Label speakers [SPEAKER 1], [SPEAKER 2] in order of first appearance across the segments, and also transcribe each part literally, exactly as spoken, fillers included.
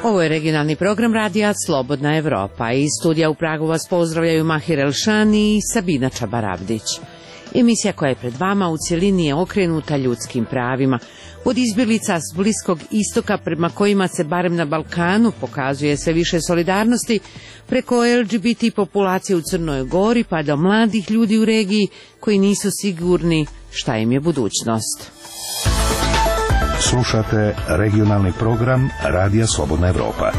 [SPEAKER 1] Ovo je regionalni program radija Slobodna Evropa. Iz studija u Pragu vas pozdravljaju Mahir Elšani i Sabina Čabaravdić. Emisija koja je pred vama u cjelini je okrenuta ljudskim pravima. Od izbjeglica s Bliskog istoka, prema kojima se barem na Balkanu pokazuje sve više solidarnosti, preko L G B T populacije u Crnoj Gori pa do mladih ljudi u regiji koji nisu sigurni šta im je budućnost.
[SPEAKER 2] Slušate regionalni program Radija Slobodna Evropa.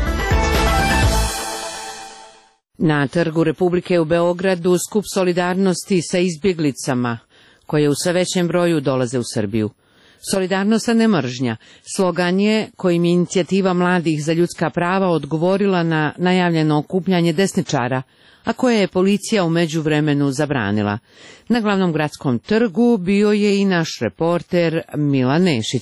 [SPEAKER 1] Na Trgu Republike u Beogradu skup solidarnosti sa izbjeglicama koje u sve većem broju dolaze u Srbiju. Solidarnost, a ne mržnja, slogan je kojim je inicijativa mladih za ljudska prava odgovorila na najavljeno okupljanje desničara, a koje je policija u međuvremenu zabranila. Na glavnom gradskom trgu bio je i naš reporter Milan Nešić.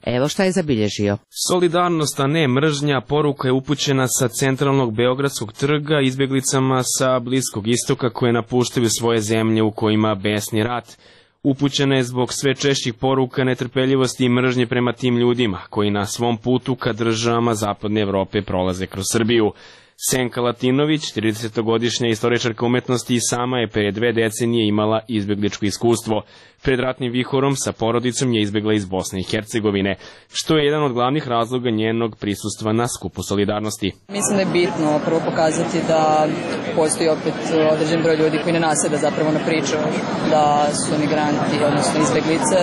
[SPEAKER 1] Evo šta je zabilježio.
[SPEAKER 3] Solidarnost, a ne mržnja, poruka je upućena sa centralnog Beogradskog trga izbjeglicama sa Bliskog istoka koje napuštaju svoje zemlje u kojima besni rat. Upućena je zbog sve češćih poruka netrpeljivosti i mržnje prema tim ljudima koji na svom putu ka državama Zapadne Evrope prolaze kroz Srbiju. Senka Latinović, tridesetogodišnja istoričarka umetnosti, i sama je pre dve decenije imala izbjegličko iskustvo. Pred ratnim vihorom sa porodicom je izbjegla iz Bosne i Hercegovine, što je jedan od glavnih razloga njenog prisustva na skupu solidarnosti.
[SPEAKER 4] Mislim da je bitno prvo pokazati da postoji opet određen broj ljudi koji ne naseda zapravo na priču da su migranti, odnosno izbjeglice,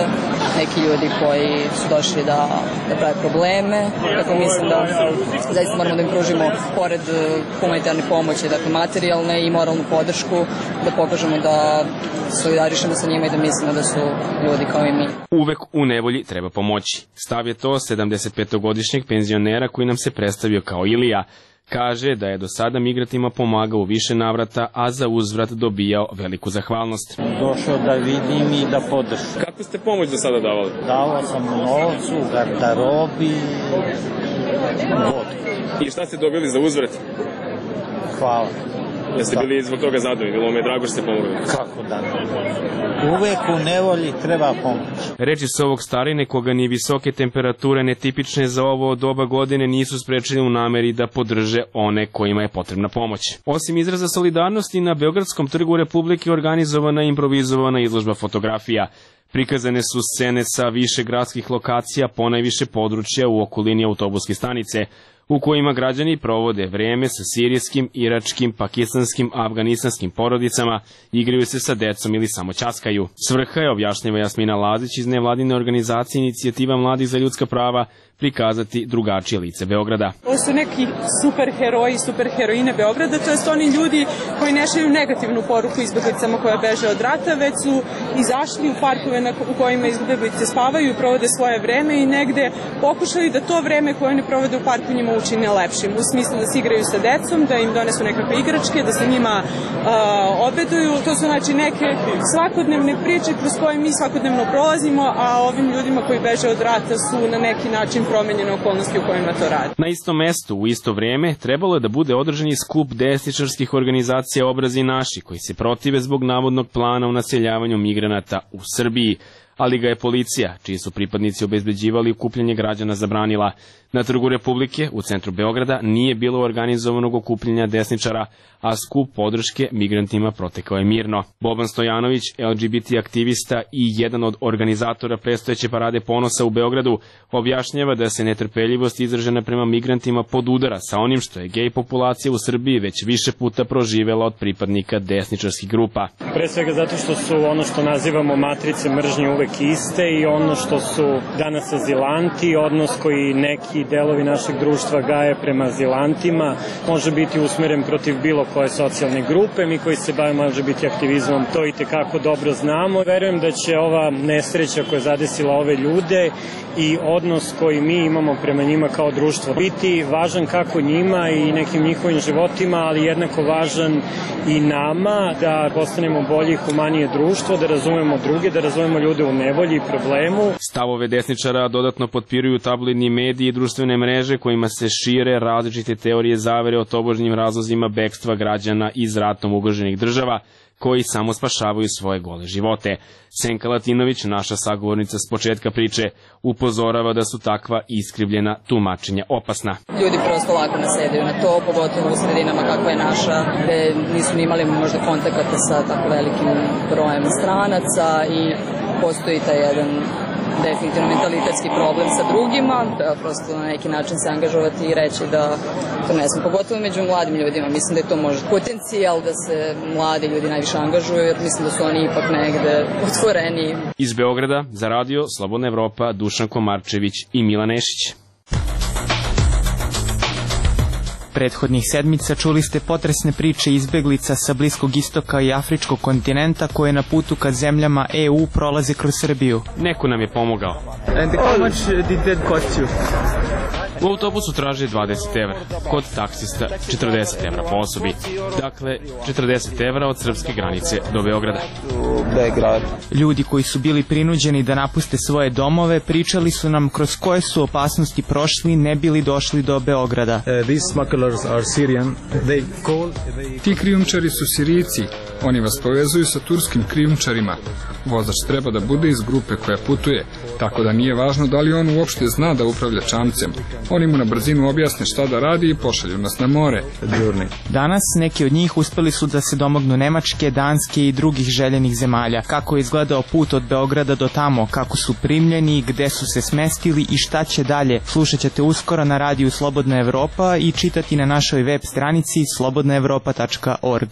[SPEAKER 4] neki ljudi koji su došli da, da prave probleme. Tako mislim da zaista moramo da im pružimo pored humanitarne pomoći, dakle materijalne i moralnu podršku, da pokažemo da solidarišemo sa njima i da mislimo da su ljudi kao i mi.
[SPEAKER 3] Uvek u nevolji treba pomoći. Stav je to sedamdesetpetogodišnjeg penzionera koji nam se predstavio kao Ilija. Kaže da je do sada migrantima pomagao u više navrata, a za uzvrat dobijao veliku zahvalnost.
[SPEAKER 5] Došao da vidim i da podržim.
[SPEAKER 3] Kako ste pomoć do sada davali?
[SPEAKER 5] Davao sam u novcu, garderobi, vodu.
[SPEAKER 3] I šta ste dobili za uzvrat?
[SPEAKER 5] Hvala.
[SPEAKER 3] Jeste bili zbog toga zadovoljni? Bilo mi je drago što ste pomogli.
[SPEAKER 5] Kako da ne? Uvek u nevolji treba pomoć.
[SPEAKER 3] Reči s ovog starine, koga ni visoke temperature netipične za ovo doba godine nisu sprečili u nameri da podrže one kojima je potrebna pomoć. Osim izraza solidarnosti, na Beogradskom trgu Republike organizovana i improvizovana izložba fotografija. Prikazane su scene sa više gradskih lokacija, ponajviše područja u okolini autobuske stanice, u kojima građani provode vreme sa sirijskim, iračkim, pakistanskim, afganistanskim porodicama, igraju se sa decom ili samo ćaskaju. Svrha je, objašnjava Jasmina Lazić iz nevladine organizacije Inicijativa mladih za ljudska prava, prikazati drugačije lice Beograda.
[SPEAKER 6] Ovo su neki super heroji, super heroine Beograda, to jest oni ljudi koji ne šalju negativnu poruku izbjeglicama koje beže od rata, već su izašli u parkove u kojima izbjeglice spavaju i provode svoje vreme i negde pokušali da to vreme koje oni provode u parku njima učine lepšim, u smislu da se igraju sa decom, da im donesu nekakve igračke, da se njima uh, obeduju. To su znači neke svakodnevne priče kroz koje mi svakodnevno prolazimo, a ovim ljudima koji beže od rata su na neki način promenjene okolnosti u kojima to radi.
[SPEAKER 3] Na istom mestu, u isto vreme, trebalo je da bude održani skup desničarskih organizacija Obrazi naši, koji se protive zbog navodnog plana o naseljavanju migranata u Srbiji, ali ga je policija, čiji su pripadnici obezbeđivali okupljanje građana, zabranila. Na Trgu Republike, u centru Beograda, nije bilo organizovanog okupljanja desničara, a skup podrške migrantima protekao je mirno. Boban Stojanović, L G B T aktivista i jedan od organizatora predstojeće parade ponosa u Beogradu, objašnjava da se netrpeljivost izražena prema migrantima podudara sa onim što je gej populacija u Srbiji već više puta proživela od pripadnika desničarskih grupa.
[SPEAKER 5] Pre svega zato što su ono što nazivamo matrice mržnje uvek iste i ono što su danas azilanti, odnos koji neki delovi našeg društva gaje prema azilantima, može biti usmeren protiv bilo koje socijalne grupe. Mi koji se bavimo L G B T aktivizmom to i tekako dobro znamo. Verujem da će ova nesreća koja je zadesila ove ljude i odnos koji mi imamo prema njima kao društvo biti važan kako njima i nekim njihovim životima, ali jednako važan i nama da postanemo bolje i humanije društvo, da razumemo druge, da razumemo ljude u nevolji i problemu.
[SPEAKER 3] Stavove desničara dodatno potpiruju tabloidni mediji i društvene mreže kojima se šire različite teorije zavere o tobožnjim razlozima bekstva građana iz ratom ugroženih država, koji samo spašavaju svoje gole živote. Senka Latinović, naša sagovornica s početka priče, upozorava da su takva iskrivljena tumačenja opasna.
[SPEAKER 4] Ljudi prosto lako nasedaju na to, pogotovo u sredinama kakva je naša, gde nisu ni imali možda kontakata sa tako velikim brojem stranaca i postoji taj jedan definitivno mentalitetski problem sa drugima, da prosto na neki način se angažovati i reći da to ne znam, pogotovo među mladim ljudima, mislim da je to možda potencijal da se mladi ljudi najviše angažuju, jer mislim da su oni ipak negde otvoreni.
[SPEAKER 3] Iz Beograda za radio Slobodna Evropa, Dušan Komarčević i Milan Nešić.
[SPEAKER 7] Prethodnih sedmica čuli ste potresne priče izbeglica sa Bliskog istoka i Afričkog kontinenta koje na putu ka zemljama E U prolaze kroz Srbiju.
[SPEAKER 3] Neko nam je pomogao.
[SPEAKER 7] And how much did that cost you?
[SPEAKER 3] U autobusu traži dvadeset evra, kod taksista četrdeset evra po osobi. Dakle, četrdeset evra od srpske granice do Beograda.
[SPEAKER 7] Ljudi koji su bili prinuđeni da napuste svoje domove pričali su nam kroz koje su opasnosti prošli ne bili došli do Beograda.
[SPEAKER 8] Uh, these smugglers are Syrian. They call, they...
[SPEAKER 9] Ti krijumčari su Sirijci. Oni vas povezuju sa turskim krijumčarima. Vozač treba da bude iz grupe koja putuje, tako da nije važno da li on uopšte zna da upravlja čamcem. Oni mu na brzinu objasne šta da radi i pošalju nas na more.
[SPEAKER 7] Danas neki od njih uspeli su da se domognu Nemačke, Danske i drugih željenih zemalja. Kako je izgledao put od Beograda do tamo, kako su primljeni, gde su se smestili i šta će dalje, slušat ćete uskoro na radiju Slobodna Evropa i čitati na našoj web stranici slobodna evropa tačka org.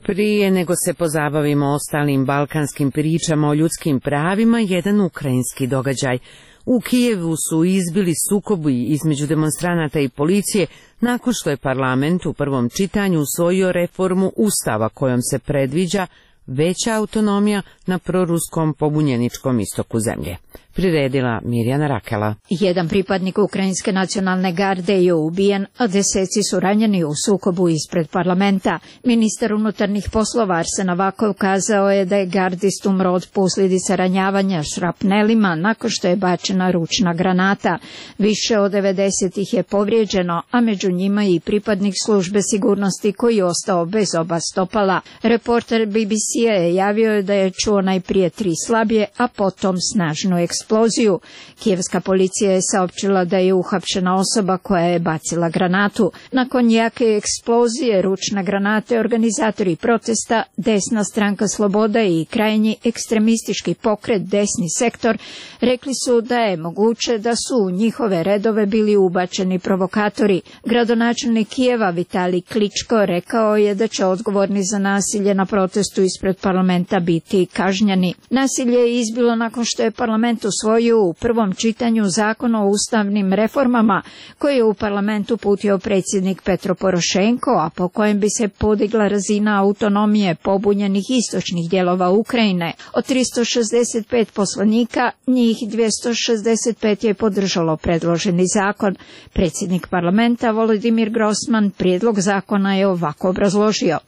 [SPEAKER 1] Prije nego se pozabavimo ostalim balkanskim pričama o ljudskim pravima, jedan ukrajinski događaj. U Kijevu su izbili sukobi između demonstranata i policije nakon što je parlament u prvom čitanju usvojio reformu Ustava kojom se predviđa veća autonomija na proruskom pobunjeničkom istoku zemlje. Priredila Mirjana Rakela.
[SPEAKER 10] Jedan pripadnik Ukrajinske nacionalne garde je ubijen, a deseci su ranjeni u sukobu ispred parlamenta. Ministar unutarnjih poslova Arsen Avakov kazao je da je gardist umro od posljedica ranjavanja šrapnelima nakon što je bačena ručna granata. Više od devedeset ih je povrijeđeno, a među njima i pripadnik službe sigurnosti koji je ostao bez oba stopala. Reporter B B C-a je javio da je čuo najprije tri slabije, a potom snažnu eksploziju. eksploziju. Kijevska policija je saopćila da je uhapšena osoba koja je bacila granatu. Nakon jake eksplozije ručne granate organizatori protesta, desna stranka Sloboda i krajnji ekstremistički pokret Desni sektor rekli su da je moguće da su u njihove redove bili ubačeni provokatori. Gradonačelnik Kijeva Vitali Kličko rekao je da će odgovorni za nasilje na protestu ispred parlamenta biti kažnjeni. Nasilje je izbilo nakon što je parlament usvojio u prvom čitanju zakon o ustavnim reformama koji je u parlamentu uputio predsjednik Petro Porošenko, a po kojem bi se podigla razina autonomije pobunjenih istočnih dijelova Ukrajine. Od tristo šezdeset pet poslanika, njih dvjesto šezdeset pet je podržalo predloženi zakon. Predsjednik parlamenta Volodimir Grossman prijedlog zakona je ovako obrazložio.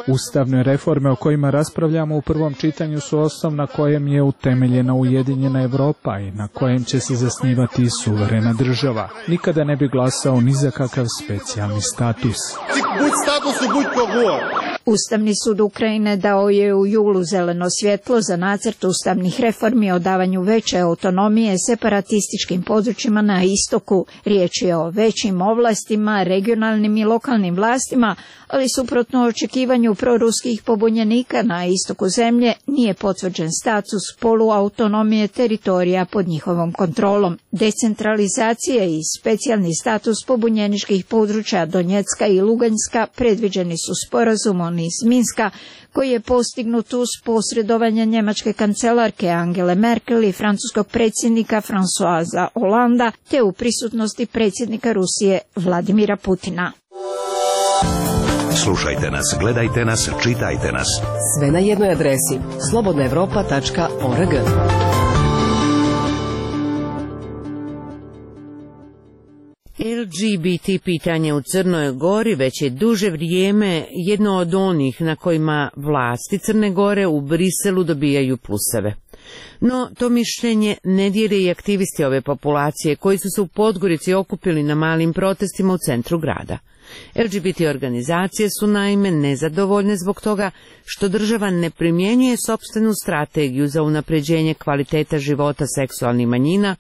[SPEAKER 11] Ustavne reforme o kojima raspravljamo u prvom čitanju su osnov na kojem je utemeljena Ujedinjena Evropa i na kojem će se zasnivati suverena država. Nikada ne bi glasao ni za kakav specijalni status.
[SPEAKER 10] Ustavni sud Ukrajine dao je u julu zeleno svjetlo za nacrt ustavnih reformi o davanju veće autonomije separatističkim područjima na istoku. Riječ je o većim ovlastima, regionalnim i lokalnim vlastima, ali suprotno očekivanju proruskih pobunjenika na istoku zemlje nije potvrđen status poluautonomije teritorija pod njihovom kontrolom. Decentralizacija i specijalni status pobunjeničkih područja Donjecka i Luganjska predviđeni su sporazumom iz Minska, koji je postignut uz posredovanje njemačke kancelarke Angele Merkel i francuskog predsjednika Françoisa Hollanda, te u prisutnosti predsjednika Rusije Vladimira Putina.
[SPEAKER 2] Slušajte nas, gledajte nas, čitajte nas.
[SPEAKER 12] Sve na jednoj adresi slobodna evropa tačka org.
[SPEAKER 1] L G B T pitanje u Crnoj Gori već je duže vrijeme jedno od onih na kojima vlasti Crne Gore u Briselu dobijaju pluseve. No, to mišljenje ne dijele i aktivisti ove populacije koji su se u Podgorici okupili na malim protestima u centru grada. L G B T organizacije su naime nezadovoljne zbog toga što država ne primjenjuje sopstvenu strategiju za unapređenje kvaliteta života seksualnih manjina,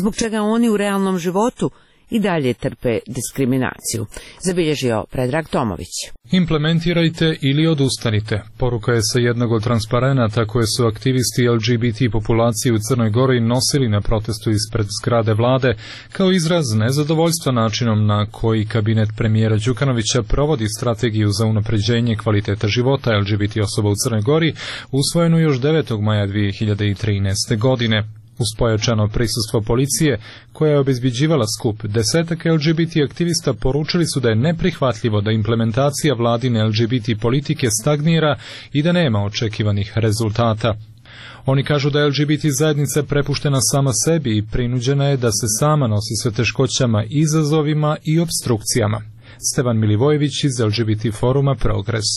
[SPEAKER 1] zbog čega oni u realnom životu i dalje trpe diskriminaciju, zabilježio Predrag Tomović.
[SPEAKER 13] Implementirajte ili odustanite. Poruka je sa jednog od transparenata koje su aktivisti L G B T populacije u Crnoj Gori nosili na protestu ispred zgrade vlade, kao izraz nezadovoljstva načinom na koji kabinet premijera Đukanovića provodi strategiju za unapređenje kvaliteta života L G B T osoba u Crnoj Gori, usvojenu još devetog maja dvije hiljade trinaeste. godine. Uz pojačano prisustvo policije, koja je obezbeđivala skup, desetak L G B T aktivista poručili su da je neprihvatljivo da implementacija vladine L G B T politike stagnira i da nema očekivanih rezultata. Oni kažu da je L G B T zajednica prepuštena sama sebi i prinuđena je da se sama nosi sa teškoćama, izazovima i obstrukcijama. Stevan Milivojević iz L G B T foruma Progres.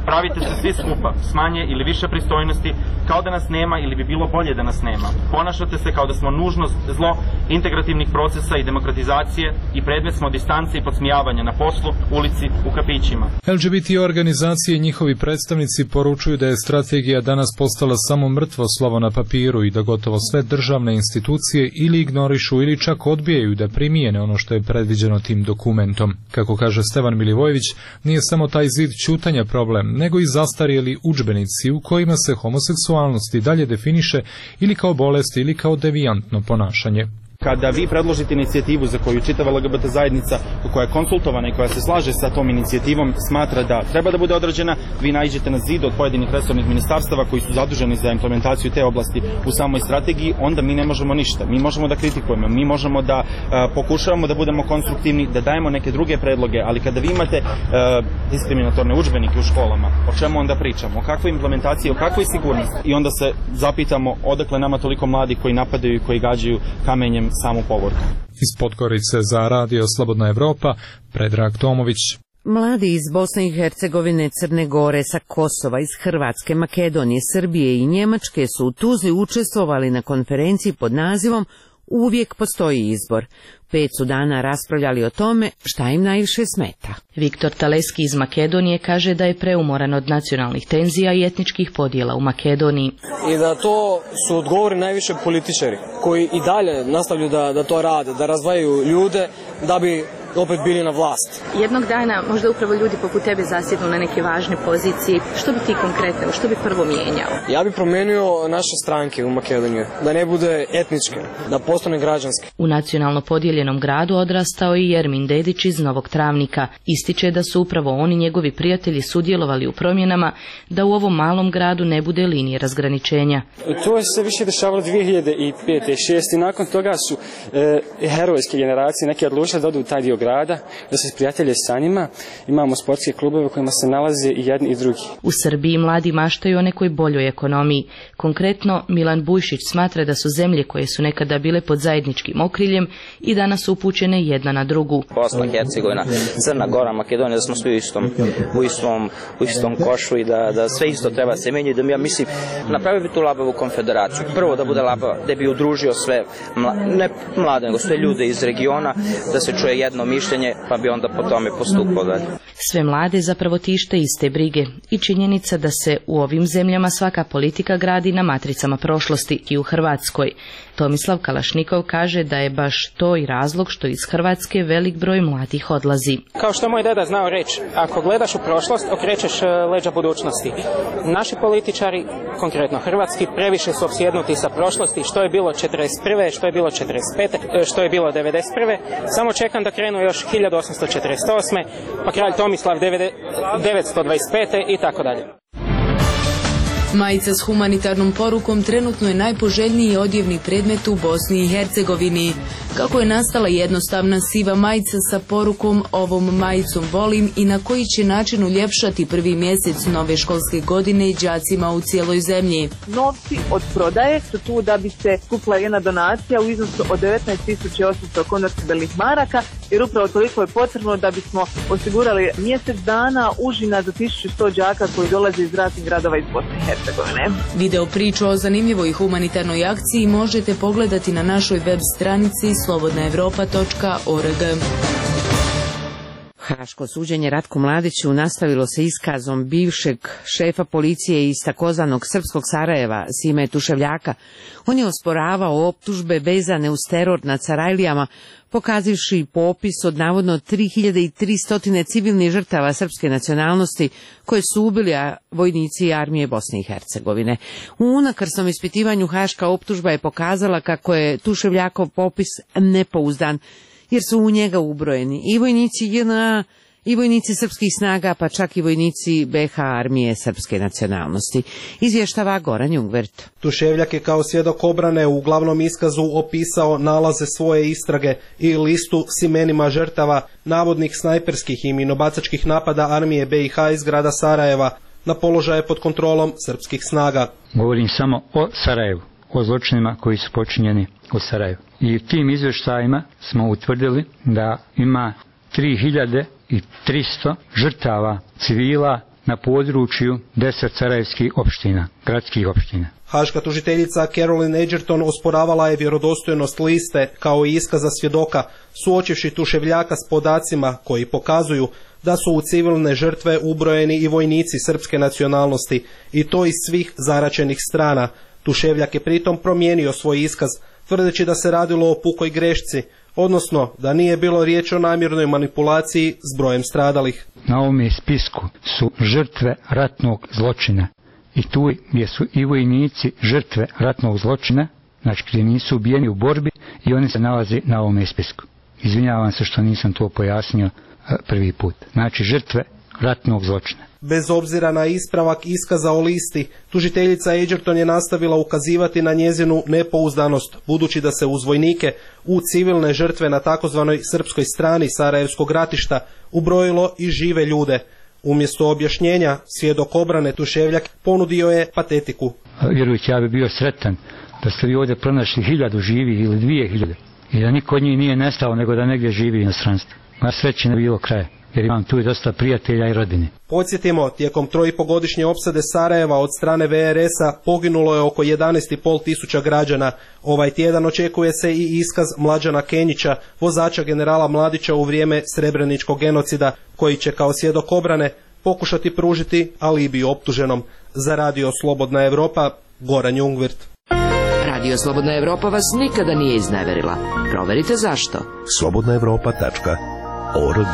[SPEAKER 14] Pravite se svi skupa, s manje ili više pristojnosti, kao da nas nema ili bi bilo bolje da nas nema. Ponašate se kao da smo nužnost zlo integrativnih procesa i demokratizacije i predmet smo distance i podsmijavanja na poslu, ulici, u kafićima.
[SPEAKER 13] L G B T organizacije i njihovi predstavnici poručuju da je strategija danas postala samo mrtvo slovo na papiru i da gotovo sve državne institucije ili ignorišu ili čak odbijaju da primijene ono što je predviđeno tim dokumentom. Kako kaže Stevan Milivojević, nije samo taj zid ćutanja problem, nego i zastarjeli udžbenici u kojima se homoseksualnost i dalje definiše ili kao bolest ili kao devijantno ponašanje.
[SPEAKER 15] Kada vi predložite inicijativu za koju čitava L G B T zajednica koja je konsultovana i koja se slaže sa tom inicijativom smatra da treba da bude odrađena, vi naiđete na zid od pojedinih resornih ministarstava koji su zaduženi za implementaciju te oblasti u samoj strategiji, onda mi ne možemo ništa. Mi možemo da kritikujemo, mi možemo da uh, pokušavamo da budemo konstruktivni, da dajemo neke druge predloge, ali kada vi imate uh, diskriminatorne udžbenike u školama, o čemu onda pričamo? O kakvoj implementaciji, o kakvoj sigurnosti? I onda se zapitamo odakle nama toliko mladi koji napadaju i koji gađaju kamenjem samu povorku.
[SPEAKER 13] Iz Podgorice za Radio Slobodna Evropa, Predrag Tomović.
[SPEAKER 1] Mladi iz Bosne i Hercegovine, Crne Gore, sa Kosova, iz Hrvatske, Makedonije, Srbije i Njemačke su u Tuzli učestvovali na konferenciji pod nazivom Uvijek postoji izbor. Pet su dana raspravljali o tome šta im najviše smeta.
[SPEAKER 16] Viktor Taleski iz Makedonije kaže da je preumoran od nacionalnih tenzija i etničkih podjela u Makedoniji.
[SPEAKER 17] I da to su odgovori najviše političari koji i dalje nastavljaju da, da to rade, da razdvajaju ljude da bi opet bili na vlast.
[SPEAKER 16] Jednog dana možda upravo ljudi poput tebe zasjednu na neke važne pozicije. Što bi ti konkretno, što bi prvo mijenjao?
[SPEAKER 17] Ja bih promenio naše stranke u Makedoniju, da ne bude etničke, da postane građanske.
[SPEAKER 16] U nacionalno podijeljenom gradu odrastao i Jermin Dedić iz Novog Travnika. Ističe da su upravo oni njegovi prijatelji sudjelovali u promjenama da u ovom malom gradu ne bude linije razgraničenja.
[SPEAKER 18] To je se više dešavalo dvije hiljade pete i šeste i nakon toga su e, herojske generacije neke odlučile da odu u taj dio grada, da se prijatelje sa njima. Imamo sportske klubove u kojima se nalaze i jedni i drugi.
[SPEAKER 16] U Srbiji mladi maštaju o nekoj boljoj ekonomiji. Konkretno, Milan Bujšić smatra da su zemlje koje su nekada bile pod zajedničkim okriljem i danas su upućene jedna na drugu.
[SPEAKER 19] Bosna, Hercegovina, Crna Gora, Makedonija, da smo svi u istom, u istom, u istom košu i da, da sve isto treba se menjati. Da mi, ja mislim, napravio bi tu labavu konfederaciju. Prvo da bude labava, da bi udružio sve, mla, ne mlade, nego sve ljude iz regiona, da se čuje jedno mišljenje, pa bi onda po tome postupao dalje.
[SPEAKER 16] Sve mlade zapravo tište iste brige i činjenica da se u ovim zemljama svaka politika gradi na matricama prošlosti i u Hrvatskoj. Tomislav Kalašnikov kaže da je baš to i razlog što iz Hrvatske velik broj mladih odlazi.
[SPEAKER 20] Kao što je moj deda znao reći, ako gledaš u prošlost, okrećeš leđa budućnosti. Naši političari, konkretno hrvatski, previše su opsjednuti sa prošlosti, što je bilo četrdeset prve, što je bilo četrdeset pete, što je bilo devedeset prve. Samo čekam da krenu još hiljadu osamsto četrdeset osme, pa kralj Tomislav devetsto dvadeset pete i tako dalje.
[SPEAKER 21] Majica s humanitarnom porukom trenutno je najpoželjniji odjevni predmet u Bosni i Hercegovini. Kako je nastala jednostavna siva majica sa porukom "Ovom majicom volim" i na koji će način uljepšati prvi mjesec nove školske godine đacima u cijeloj zemlji?
[SPEAKER 22] Novci od prodaje su tu da bi se skupila jedna donacija u iznosu od devetnaest tisuća osamsto konvertibilnih maraka jer upravo toliko je potrebno da bismo osigurali mjesec dana užina za tisuću sto đaka koji dolaze iz raznih gradova iz Bosne i Hercegovine.
[SPEAKER 21] Video priču o zanimljivoj humanitarnoj akciji možete pogledati na našoj web stranici slobodna evropa tačka org.
[SPEAKER 1] Haško suđenje Ratku Mladiću nastavilo se iskazom bivšeg šefa policije iz takozvanog srpskog Sarajeva, Sime Tuševljaka. On je osporavao optužbe vezane uz teror nad Sarajlijama, pokazivši popis od navodno tri hiljade tristo civilnih žrtava srpske nacionalnosti koje su ubili vojnici armije Bosne i Hercegovine. U unakrsnom ispitivanju haška optužba je pokazala kako je Tuševljakov popis nepouzdan, jer su u njega ubrojeni i vojnici J N A, i vojnici srpskih snaga, pa čak i vojnici B H armije srpske nacionalnosti. Izvještava Goran Jungvert.
[SPEAKER 5] Tuševljak je kao svjedok obrane u glavnom iskazu opisao nalaze svoje istrage i listu s imenima žrtava navodnih snajperskih i minobacačkih napada armije B i H iz grada Sarajeva na položaje pod kontrolom srpskih snaga.
[SPEAKER 6] Govorim samo o Sarajevu, o zločinima koji su počinjeni u Sarajevu. I u tim izvještajima smo utvrdili da ima tri hiljade tristo žrtava civila na području deset sarajevskih opština, gradskih opština.
[SPEAKER 5] Haška tužiteljica Caroline Edgerton osporavala je vjerodostojnost liste kao i iskaza svjedoka, suočivši Tuševljaka s podacima koji pokazuju da su u civilne žrtve ubrojeni i vojnici srpske nacionalnosti, i to iz svih zaraćenih strana. Tuševljak je pritom promijenio svoj iskaz, tvrdeći da se radilo o pukoj grešci, odnosno da nije bilo riječ o namjernoj manipulaciji s brojem stradalih.
[SPEAKER 6] Na ovome spisku su žrtve ratnog zločina i tu gdje su i vojnici žrtve ratnog zločina, znači gdje nisu ubijeni u borbi, i oni se nalaze na ovome spisku. Izvinjavam se što nisam to pojasnio prvi put. Znači žrtve ratnog zločina.
[SPEAKER 5] Bez obzira na ispravak iskaza o listi, tužiteljica Edgerton je nastavila ukazivati na njezinu nepouzdanost, budući da se uz vojnike u civilne žrtve na takozvanoj srpskoj strani Sarajevskog ratišta ubrojilo i žive ljude. Umjesto objašnjenja, svjedok obrane Tuševljak ponudio je patetiku.
[SPEAKER 6] Vjerujući, ja bi bio sretan da ste vi ovdje pronašli hiljadu živih ili dvije hiljade i da niko od njih nije nestao, nego da negdje živi u inostranstvu. Na sreći ne bilo kraja, jer imam tu i dosta prijatelja i rodine.
[SPEAKER 5] Podsjetimo, tijekom trojipogodišnje opsade Sarajeva od strane V R S-a poginulo je oko jedanaest i pol tisuća građana. Ovaj tjedan očekuje se i iskaz Mlađana Kenjića, vozača generala Mladića u vrijeme Srebreničkog genocida, koji će kao svjedok obrane pokušati pružiti alibi optuženom. Za Radio Slobodna Evropa, Goran Jungvert.
[SPEAKER 12] Radio Slobodna Evropa vas nikada nije izneverila. Proverite zašto.
[SPEAKER 2] slobodna evropa tačka org.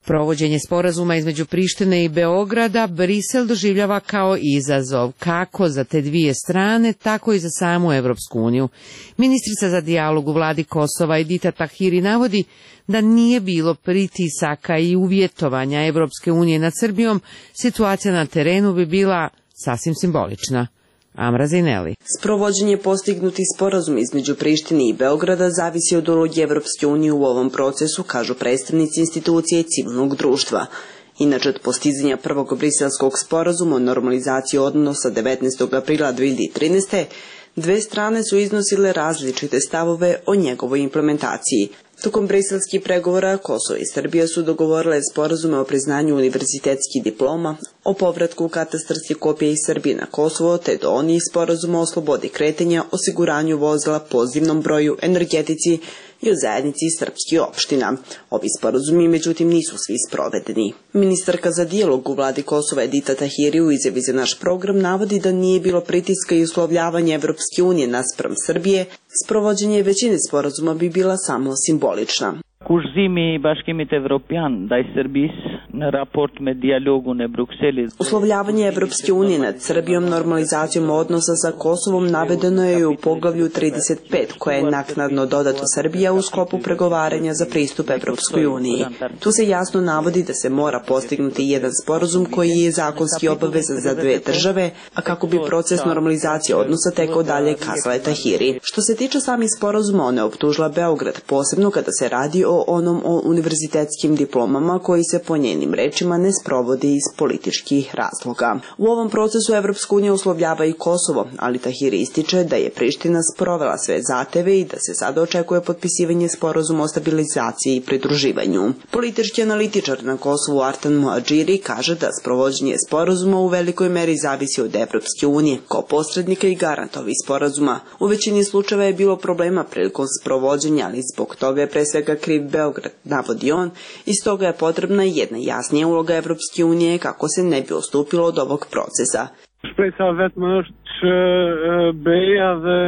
[SPEAKER 1] Provođenje sporazuma između Prištine i Beograda Brisel doživljava kao izazov, kako za te dvije strane, tako i za samu Evropsku uniju. Ministrica za dijalog u vladi Kosova Edita Tahiri navodi da nije bilo pritisaka i uvjetovanja Evropske unije nad Srbijom, situacija na terenu bi bila sasvim simbolična. Amra Zineli.
[SPEAKER 23] Sprovođenje postignuti sporazum između Prištine i Beograda zavisi od uloge Evropske unije u ovom procesu, kažu predstavnici institucije civilnog društva. Inače, od postizanja prvog briselskog sporazuma o normalizaciji odnosa devetnaestog aprila dve hiljade trinaeste. dve strane su iznosile različite stavove o njegovoj implementaciji. Tokom briselskih pregovora Kosovo i Srbija su dogovorile sporazume o priznanju univerzitetskih diploma, o povratku katastarskih kopija iz Srbije na Kosovo, te do onih sporazuma o slobodi kretanja, osiguranju vozila, pozivnom broju, energetici i o zajednici srpskih opština. Ovi sporazumi, međutim, nisu svi sprovedeni. Ministarka za dijalog u vladi Kosova Edita Tahiri u izjavi za naš program navodi da nije bilo pritiska i uslovljavanja Evropske unije naspram Srbije, sprovođenje većine sporazuma bi bila samo simbolična. Uslovljavanje Evropske unije nad Srbijom normalizacijom odnosa sa Kosovom navedeno je u poglavlju trideset pet, koje je naknadno dodato Srbija u sklopu pregovaranja za pristup Evropskoj uniji. Tu se jasno navodi da se mora postignuti jedan sporazum koji je zakonski obavezan za dve države, a kako bi proces normalizacije odnosa tekao dalje, kazala je Tahiri. Što se tiče samih sporazuma, ona je optužila Beograd, posebno kada se radi o onom o univerzitetskim diplomama koji se po njenim njenim rečima ne sprovodi iz političkih razloga. U ovom procesu Evropska unija uslovljava i Kosovo, ali Tahiri ističe da je Priština sprovela sve zahteve i da se sada očekuje potpisivanje sporazuma o stabilizaciji i pridruživanju. Politički analitičar na Kosovu Artan Muadžiri kaže da sprovođenje sporazuma u velikoj meri zavisi od Evropske unije kao posrednika i garanta ovih sporazuma. U većini slučajeva je bilo problema prilikom sprovođenja, ali zbog toga je pre svega kriv Beograd, navodi on, i stoga je potrebna jedna jasnija uloga Evropske unije kako se ne bi odstupilo od ovog procesa.
[SPEAKER 3] Shpresa vetëm është BE-ja dhe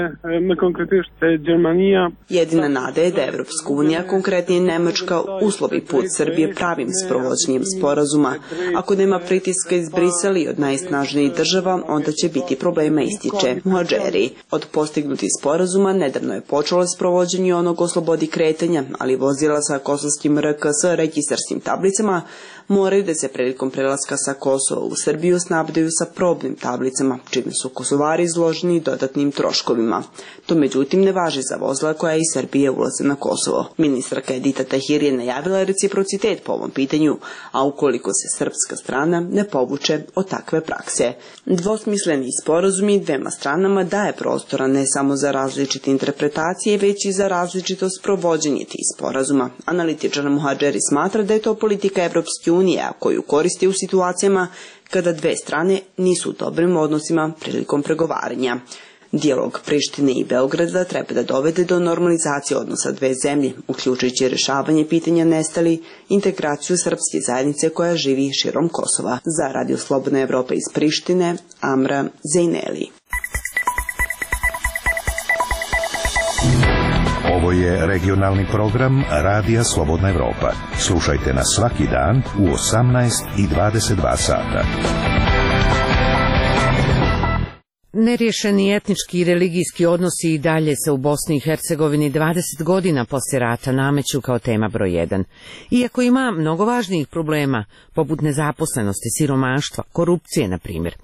[SPEAKER 3] më konkretisht Gjermania.
[SPEAKER 23] Jedina nada je da Evropska unija, konkretnije Nemačka, uslovi put Srbije pravim sprovođenjem sporazuma. Ako nema pritiska iz Brisela i od najsnažnijih država, onda će biti problema, ističe Muadžeri. Od postignutih sporazuma nedavno je počelo sprovođenje onog o slobodi kretanja, ali vozila sa kosovskim R K S registarskim tablicama moraju da se prilikom prelaska sa Kosova u Srbiju snabdaju sa probnim tablicama, čime su Kosovari izloženi dodatnim troškovima. To međutim ne važi za vozila koja iz Srbije ulaze na Kosovo. Ministarka Edita Tahiri je najavila reciprocitet po ovom pitanju, a ukoliko se srpska strana ne povuče od takve prakse. Dvosmisleni sporazumi dvema stranama daje prostora ne samo za različite interpretacije, već i za različito sprovođenje tih sporazuma. Analitičar Muadžeri smatra da je to politika Evropske unije, koju koristi u situacijama kada dve strane nisu u dobrim odnosima prilikom pregovaranja. Dijalog Prištine i Beograda treba da dovede do normalizacije odnosa dve zemlje, uključujući rješavanje pitanja nestali, integraciju srpske zajednice koja živi širom Kosova. Za Radio Slobodna Evropa iz Prištine, Amra Zejneli.
[SPEAKER 2] Ovo je regionalni program Radija Slobodna Evropa. Slušajte nas svaki dan u osamnaest i dvadeset dva sata.
[SPEAKER 1] Neriješeni etnički i religijski odnosi i dalje se u Bosni i Hercegovini dvadeset godina poslije rata nameću kao tema broj jedan. Iako ima mnogo važnijih problema, poput nezaposlenosti, siromaštva, korupcije, na primjer.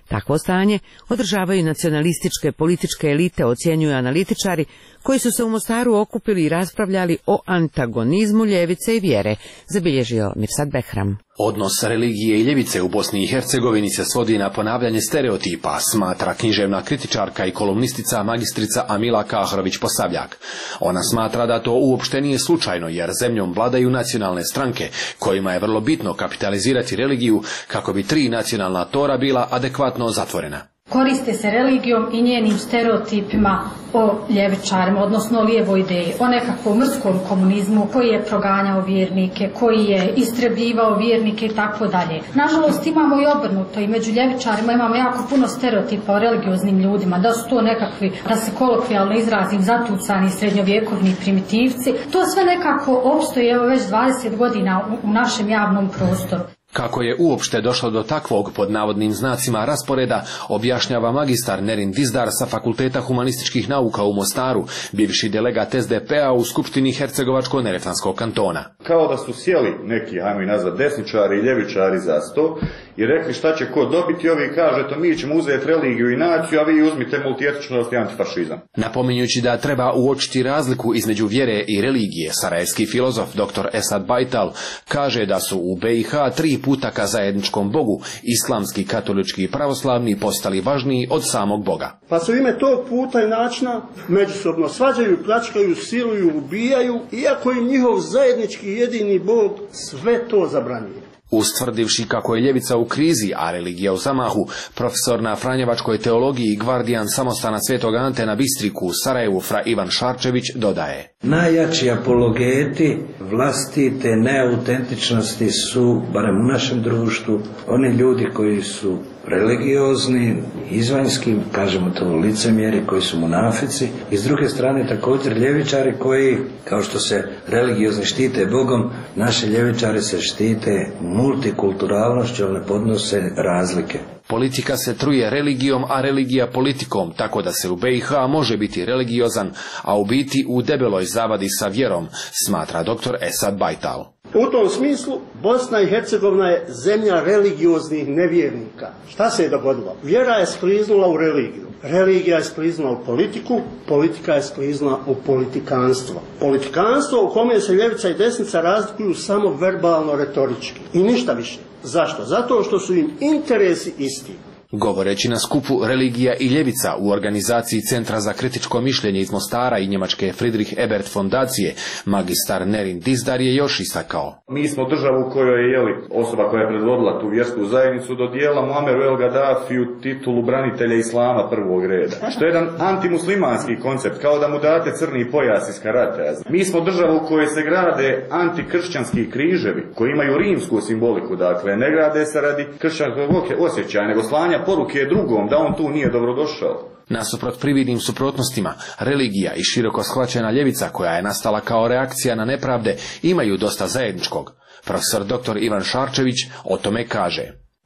[SPEAKER 1] Takvo stanje održavaju nacionalističke političke elite, ocjenjuju analitičari koji su se u Mostaru okupili i raspravljali o antagonizmu ljevice i vjere, zabilježio Mirsad Behram.
[SPEAKER 4] Odnos religije i ljevice u Bosni i Hercegovini se svodi na ponavljanje stereotipa, smatra književna kritičarka i kolumnistica magistrica Amila Kahrović-Posavljak. Ona smatra da to uopšte nije slučajno, jer zemljom vladaju nacionalne stranke, kojima je vrlo bitno kapitalizirati religiju kako bi tri nacionalna tora bila adekvatno zatvorena.
[SPEAKER 8] Koriste se religijom i njenim stereotipima o ljevičarima, odnosno o lijevoj ideji, o nekakvom mrskom komunizmu koji je proganjao vjernike, koji je istrebljivao vjernike i tako dalje. Nažalost imamo i obrnuto i među ljevičarima imamo jako puno stereotipa o religioznim ljudima, da su to nekakvi, da se kolokvijalno izrazim, zatucani srednjovjekovni primitivci. To sve nekako opstoji evo već dvadeset godina u, u našem javnom prostoru.
[SPEAKER 4] Kako je uopšte došlo do takvog, pod navodnim znacima, rasporeda, objašnjava magistar Nerin Dizdar sa Fakulteta humanističkih nauka u Mostaru, bivši delegat S D P-a u Skupštini Hercegovačko-Neretvanskog kantona.
[SPEAKER 24] Kao da su sjeli neki, ajmo i nazvat, desničari i ljevičari za sto i rekli šta će ko dobiti, ovi kaže to mi ćemo uzeti religiju i naciju, a vi uzmite multietičnost i antifašizam.
[SPEAKER 4] Napominjući da treba uočiti razliku između vjere i religije, sarajevski filozof dr Esad Bajtal kaže da su u B i H tri puta ka zajedničkom Bogu, islamski, katolički i pravoslavni, postali važniji od samog Boga.
[SPEAKER 25] Pa se u ime tog puta i načina međusobno svađaju, pljačkaju, siluju, ubijaju, iako im njihov zajednički jedini Bog sve to zabranjuje.
[SPEAKER 4] Ustvrdivši kako je ljevica u krizi, a religija u zamahu, profesor na franjevačkoj teologiji i gvardijan samostana Svetog Ante na Bistriku u Sarajevu fra Ivan Šarčević dodaje:
[SPEAKER 26] najjači apologeti vlastite neautentičnosti su, barem u našem društvu, oni ljudi koji su religiozni, izvanjski, kažemo to licemjeri, koji su munafici, i s druge strane također ljevičari koji, kao što se religiozni štite Bogom, naši ljevičari se štite multikulturalnošću, ali ne podnose razlike.
[SPEAKER 4] Politika se truje religijom, a religija politikom, tako da se u B i H može biti religiozan, a u biti u debeloj zavadi sa vjerom, smatra dr Esad Bajtal.
[SPEAKER 25] U tom smislu Bosna i Hercegovina je zemlja religioznih nevjernika. Šta se je dogodilo? Vjera je skliznula u religiju. Religija je skliznula u politiku, politika je skliznula u politikanstvo. Politikanstvo u kome se ljevica i desnica razlikuju samo verbalno, retorički. I ništa više. Zašto? Zato što su im interesi isti.
[SPEAKER 4] Govoreći na skupu Religija i ljevica u organizaciji Centra za kritičko mišljenje iz Mostara i njemačke Friedrich Ebert fondacije, magistar Nerin Dizdar je još istakao.
[SPEAKER 24] Mi smo državu u kojoj je jeli, osoba koja je predvodila tu vjersku zajednicu dodijela Muammeru El Gaddafiju titulu branitelja islama prvog reda. Što je jedan antimuslimanski koncept, kao da mu date crni pojas iz karatea. Mi smo država u kojoj se grade antikršćanski križevi, koji imaju rimsku simboliku, dakle ne grade se radi kršćanskog osjećaja, nego slanja poruke drugom da on tu nije dobrodošao.
[SPEAKER 4] Nasuprot prividnim suprotnostima, religija i široko shvaćena ljevica koja je nastala kao reakcija na nepravde imaju dosta zajedničkog. Profesor doktor Ivan Šarčević o tome kaže.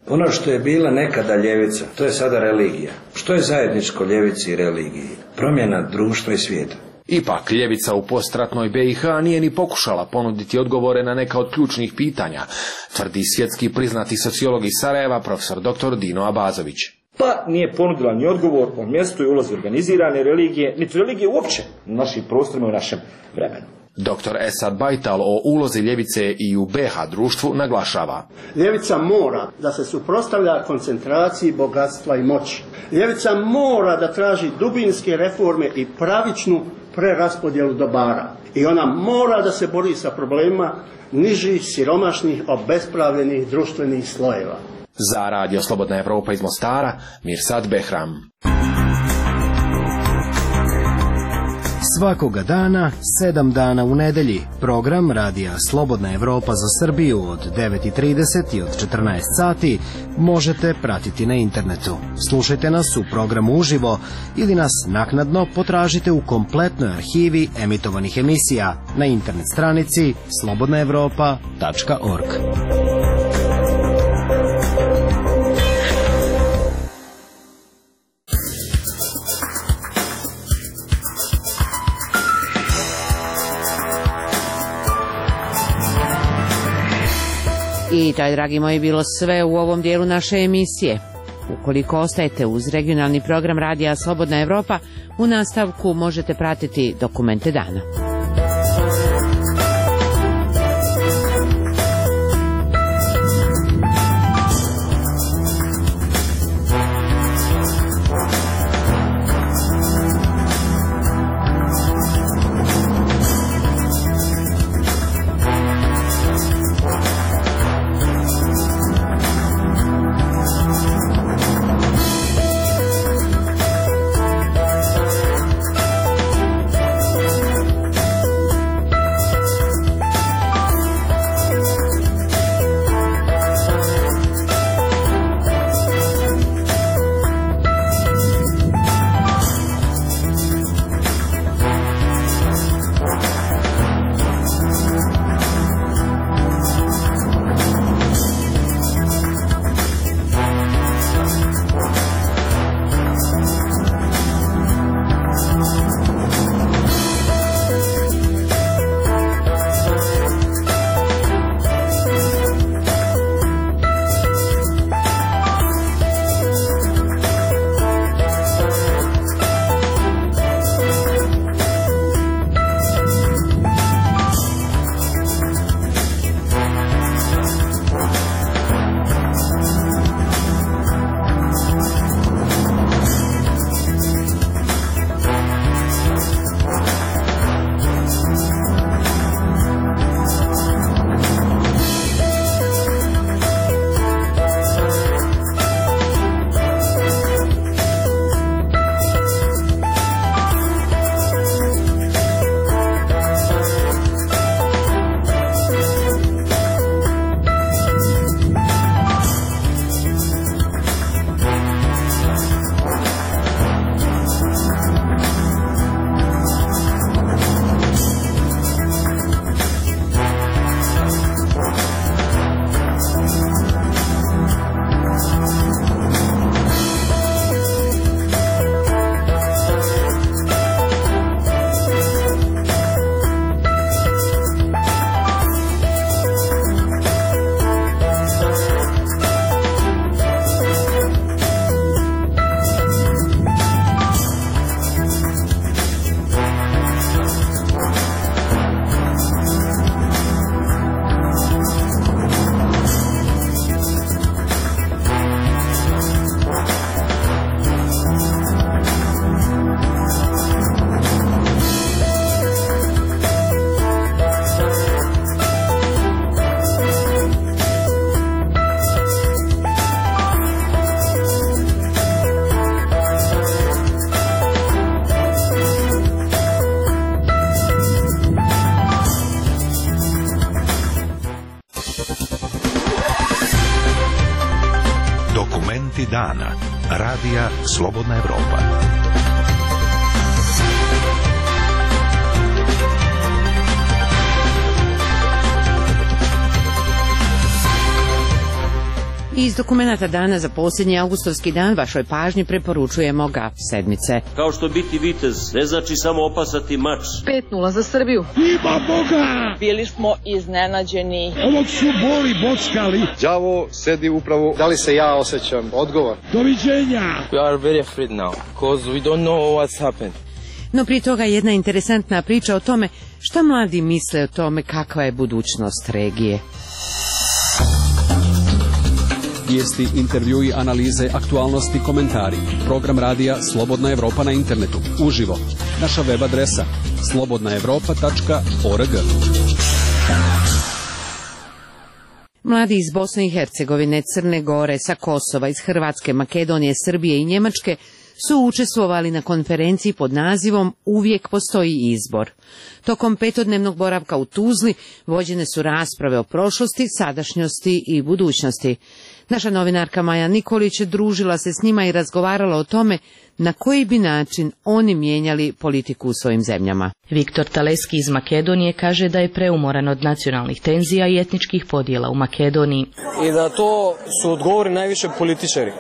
[SPEAKER 26] Ono što je bila nekada ljevica, to je sada religija. Što je zajedničko ljevici i religiji? Promjena društva i svijeta.
[SPEAKER 4] Ipak, ljevica u postratnoj B i H nije ni pokušala ponuditi odgovore na neka od ključnih pitanja, tvrdi svjetski priznati sociolog iz Sarajeva, profesor doktor Dino Abazović.
[SPEAKER 7] Pa nije ponudila ni odgovor o mjestu i ulozi organizirane religije, niti religije uopće na našim prostorima i u našem vremenu.
[SPEAKER 4] Doktor Esad Bajtal o ulozi ljevice i u B H društvu naglašava.
[SPEAKER 25] Ljevica mora da se suprotstavlja koncentraciji bogatstva i moći. Ljevica mora da traži dubinske reforme i pravičnu preraspodjelu dobara. I ona mora da se bori sa problemima nižih, siromašnih, obespravljenih društvenih slojeva.
[SPEAKER 4] Za Radio Slobodna Evropa iz Mostara, Mirsad Behram.
[SPEAKER 9] Svakoga dana, sedam dana u nedelji, program Radija Slobodna Evropa za Srbiju od devet i trideset i od četrnaest sati možete pratiti na internetu. Slušajte nas u programu uživo ili nas naknadno potražite u kompletnoj arhivi emitovanih emisija na internet stranici slobodna evropa tačka org.
[SPEAKER 1] I to je, dragi moji, bilo sve u ovom dijelu naše emisije. Ukoliko ostajete uz regionalni program Radija Slobodna Evropa, u nastavku možete pratiti dokumente dana.
[SPEAKER 2] Momenti dana. Radija Slobodna Evropa.
[SPEAKER 1] Iz dokumenta dana za posljednji avgustovski dan vašoj pažnji preporučujemo Gaf sedmice.
[SPEAKER 10] Kao što biti vitez ne znači samo opasati mač.
[SPEAKER 11] pet nula za Srbiju.
[SPEAKER 13] Ima Boga!
[SPEAKER 11] Bili smo iznenađeni.
[SPEAKER 13] Ovog su boli bockali.
[SPEAKER 14] Đavo sedi upravo. Da li se ja osjećam odgovor?
[SPEAKER 13] Doviđenja!
[SPEAKER 15] We are very afraid now, because we don't know what's happened.
[SPEAKER 1] No prije toga jedna interesantna priča o tome šta mladi misle o tome kakva je budućnost regije.
[SPEAKER 17] Vijesti, intervjui, analize, aktualnosti, komentari. Program radija Slobodna Evropa na internetu. Uživo. Naša web adresa slobodna evropa tačka org.
[SPEAKER 1] Mladi iz Bosne i Hercegovine, Crne Gore, sa Kosova, iz Hrvatske, Makedonije, Srbije i Njemačke su učestvovali na konferenciji pod nazivom Uvijek postoji izbor. Tokom petodnevnog boravka u Tuzli vođene su rasprave o prošlosti, sadašnjosti i budućnosti. Naša novinarka Maja Nikolić družila se s njima i razgovarala o tome na koji bi način oni mijenjali politiku u svojim zemljama.
[SPEAKER 16] Viktor Taleski iz Makedonije kaže da je preumoran od nacionalnih tenzija i etničkih podjela u Makedoniji.
[SPEAKER 18] I da to su odgovori najviše političari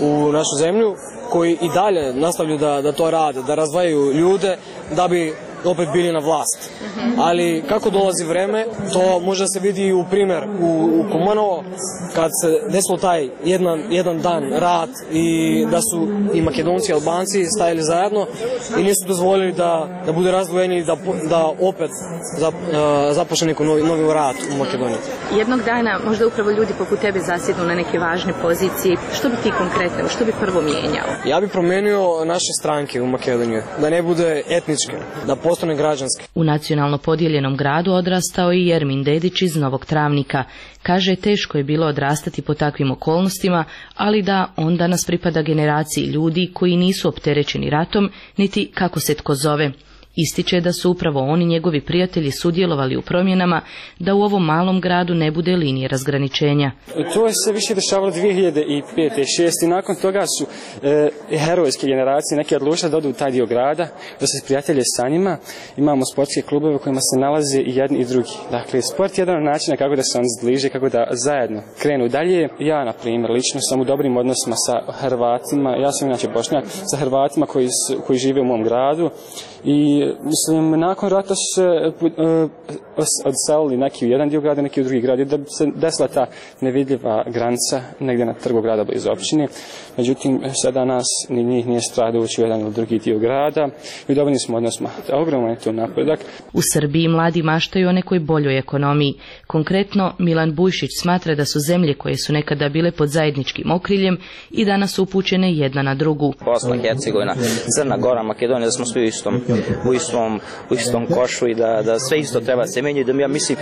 [SPEAKER 18] u našu zemlju, koji i dalje nastavljaju da, da to rade, da razdvajaju ljude da bi opet bili na vlast. Ali kako dolazi vreme, to može se vidi u primjer u, u Kumanovo, kad se desilo taj jedan, jedan dan rat i da su i Makedonci i Albanci stajali zajedno i nisu dozvolili da, da bude razdvojeni i da, da opet zap, uh, započne neko novi, novi rat u Makedoniji.
[SPEAKER 21] Jednog dana možda upravo ljudi poput tebe zasjednu na neke važne pozicije. Što bi ti konkretno, što bi prvo mijenjao?
[SPEAKER 18] Ja bih promijenio naše stranke u Makedoniji, da ne bude etničke, da postane građanske.
[SPEAKER 16] U nacionalno podijeljenom gradu odrastao i Jermin Dedić iz Novog Travnika. Kaže, teško je bilo odrastati po takvim okolnostima, ali da on danas pripada generaciji ljudi koji nisu opterećeni ratom, niti kako se tko zove. Ističe da su upravo oni njegovi prijatelji sudjelovali u promjenama da u ovom malom gradu ne bude linije razgraničenja.
[SPEAKER 18] To je se više dešavalo dvije hiljade pete i šeste i nakon toga su e, herojske generacije neke odlučile da odu u taj dio grada, da se prijatelje sa njima. Imamo sportske klubove u kojima se nalaze i jedni i drugi. Dakle, sport je jedan od načina kako da se on zbliže, kako da zajedno krenu dalje. Ja, na primjer, lično sam u dobrim odnosima sa Hrvatima, ja sam inače Bošnjak, sa Hrvatima koji, koji žive u mom gradu. I mislim, nakon rata su se uh, odselili neki u jedan dio grada, neki u drugi grad, da se desila ta nevidljiva granica negdje na trgu grada blizu općine. Međutim, sada nas ni njih nije strah ući u jedan ili drugi dio grada i u dobrim smo odnosima. Ogroman je to napredak.
[SPEAKER 16] U Srbiji mladi maštaju o nekoj boljoj ekonomiji. Konkretno, Milan Bujšić smatra da su zemlje koje su nekada bile pod zajedničkim okriljem i danas su upućene jedna na drugu.
[SPEAKER 19] Bosna i Hercegovina, Crna Gora, Makedonija, da smo svi u istom, u istom, u istom košu i da, da sve isto treba se menjati. Da ja mislim,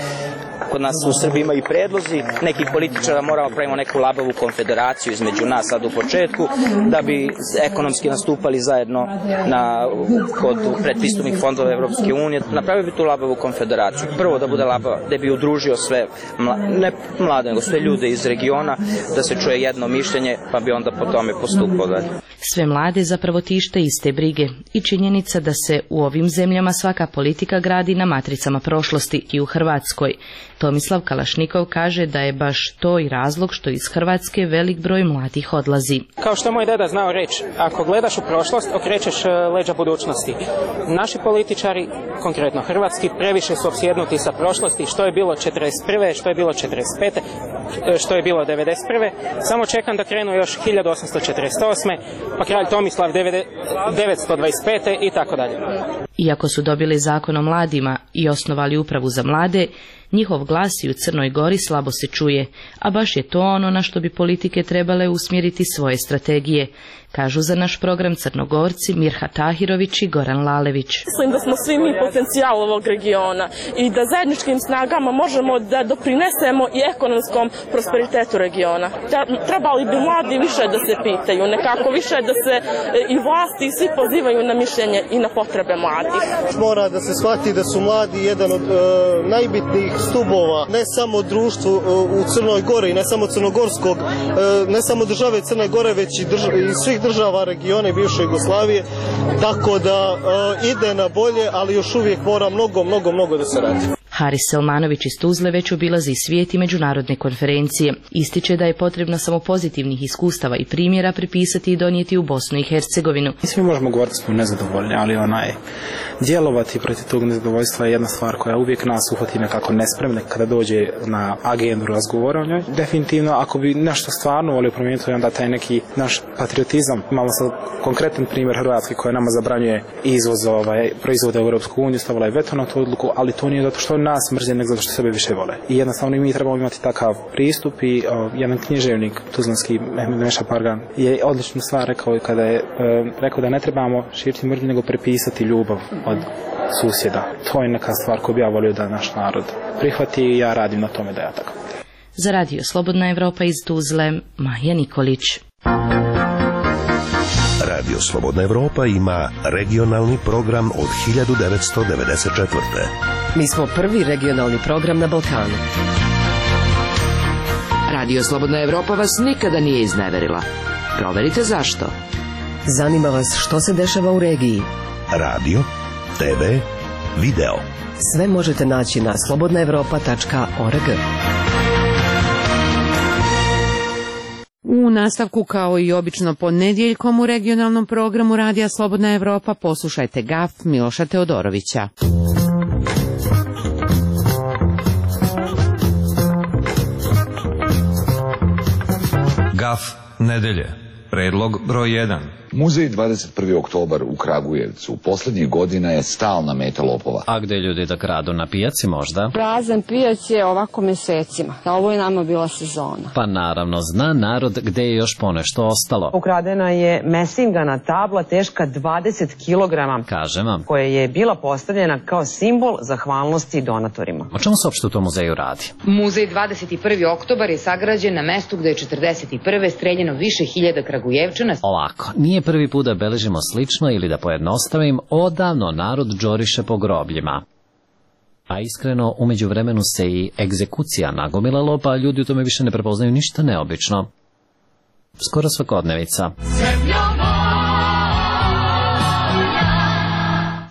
[SPEAKER 19] kod nas u Srbiji ima i predlozi nekih političara, moramo pravimo neku labavu konfederaciju između nas sad u početku, da bi ekonomski nastupali zajedno na, kod predpristupnih fondova Evropske unije. Napravio bi tu labavu konfederaciju. Prvo da bude labava, da bi udružio sve, mla, ne mlade, nego sve ljude iz regiona, da se čuje jedno mišljenje, pa bi onda po tome postupao dalje.
[SPEAKER 16] Sve mlade zapravo tište iste brige i činjenica da se u ovim zemljama svaka politika gradi na matricama prošlosti i u Hrvatskoj. Tomislav Kalašnikov kaže da je baš to i razlog što iz Hrvatske velik broj mladih odlazi.
[SPEAKER 20] Kao što moj deda znao reći, ako gledaš u prošlost, okrećeš leđa budućnosti. Naši političari, konkretno hrvatski, previše su opsjednuti sa prošlosti, što je bilo četrdeset prve, što je bilo četrdeset pete, što je bilo devedeset prve. Samo čekam da krenu još hiljadu osamsto četrdeset osme, pa kralj Tomislav devetsto dvadeset pete i tako dalje.
[SPEAKER 16] Iako su dobili zakon o mladima i osnovali upravu za mlade, njihov glas i u Crnoj Gori slabo se čuje, a baš je to ono na što bi politike trebale usmjeriti svoje strategije, kažu za naš program Crnogorci Mirha Tahirović i Goran Lalević.
[SPEAKER 27] Mislim da smo svi mi potencijal ovog regiona i da zajedničkim snagama možemo da doprinesemo i ekonomskom prosperitetu regiona. Trebali bi mladi više da se pitaju, nekako više da se i vlasti i svi pozivaju na mišljenje i na potrebe mladih.
[SPEAKER 25] Mora da se shvati da su mladi jedan od e, najbitnijih
[SPEAKER 3] stubova, ne samo društvu u Crnoj Gori, ne samo crnogorskog, ne samo države Crne Gore, već i, drž i svih država regiona bivše Jugoslavije, tako da ide na bolje, ali još uvijek mora mnogo, mnogo, mnogo da se radi.
[SPEAKER 16] Haris Selmanović iz Tuzle već obilazi svijet i međunarodne konferencije. Ističe da je potrebno samo pozitivnih iskustava i primjera prepisati i donijeti u Bosnu i Hercegovinu.
[SPEAKER 18] Svi možemo govoriti da smo nezadovoljni, ali onaj djelovati protiv tog nezadovoljstva je jedna stvar koja uvijek nas uhvati nekako nespremne kada dođe na agendu razgovora o njoj. Definitivno, ako bi nešto stvarno volio promijeniti, onda taj neki naš patriotizam, imamo sad konkretan primjer Hrvatske koja nama zabranjuje izvoz ovaj, proizvoda u Europsku uniju, stavila je veto na tu odluku, ali to nije zato što nas mrze, nego zato što sebe više vole. I jednostavno mi trebamo imati takav pristup i o, jedan književnik tuzlanski Meša Pargan je odličnu stvar rekao kada je e, rekao da ne trebamo širiti mržnju nego prepisati ljubav od susjeda. To je neka stvar koju bi ja volio da naš narod prihvati i ja radim na tome da ja tako.
[SPEAKER 16] Za radio Slobodna Evropa iz Tuzle, Maja Nikolić.
[SPEAKER 2] Radio Slobodna Evropa ima regionalni program od hiljadu devetsto devedeset četvrte.
[SPEAKER 5] Mi smo prvi regionalni program na Balkanu.
[SPEAKER 6] Radio Slobodna Evropa vas nikada nije izneverila. Proverite zašto.
[SPEAKER 5] Zanima vas što se dešava u regiji.
[SPEAKER 2] Radio, te ve, video.
[SPEAKER 5] Sve možete naći na slobodna evropa tačka org.
[SPEAKER 1] U nastavku, kao i obično ponedjeljkom u regionalnom programu Radija Slobodna Evropa, poslušajte Gaf Miloša Teodorovića.
[SPEAKER 8] Gaf nedelje. Predlog broj jedan.
[SPEAKER 12] Muzej dvadeset prvi oktobar u Kragujevcu poslednjih godina je stalna meta lopova.
[SPEAKER 22] A gde ljudi da kradu, na pijaci možda?
[SPEAKER 23] Prazan pijac je ovako mesecima. Ovo je nama bila sezona.
[SPEAKER 22] Pa naravno, zna narod gde je još ponešto ostalo.
[SPEAKER 28] Ukradena je mesingana tabla teška dvadeset kilograma.
[SPEAKER 22] Kažem vam.
[SPEAKER 28] Koja je bila postavljena kao simbol zahvalnosti donatorima.
[SPEAKER 22] O čemu se uopšte u tom muzeju radi?
[SPEAKER 29] Muzej dvadeset prvi oktobar je sagrađen na mestu gde je četrdeset prve streljeno više hiljada Kragujevčana.
[SPEAKER 22] Ovako, nije prvi put da beležimo slično ili da pojednostavim, odavno narod džoriše po grobljima. A iskreno, umeđu vremenu se i egzekucija nagomilalo, pa ljudi u tome više ne prepoznaju ništa neobično. Skoro svakodnevica.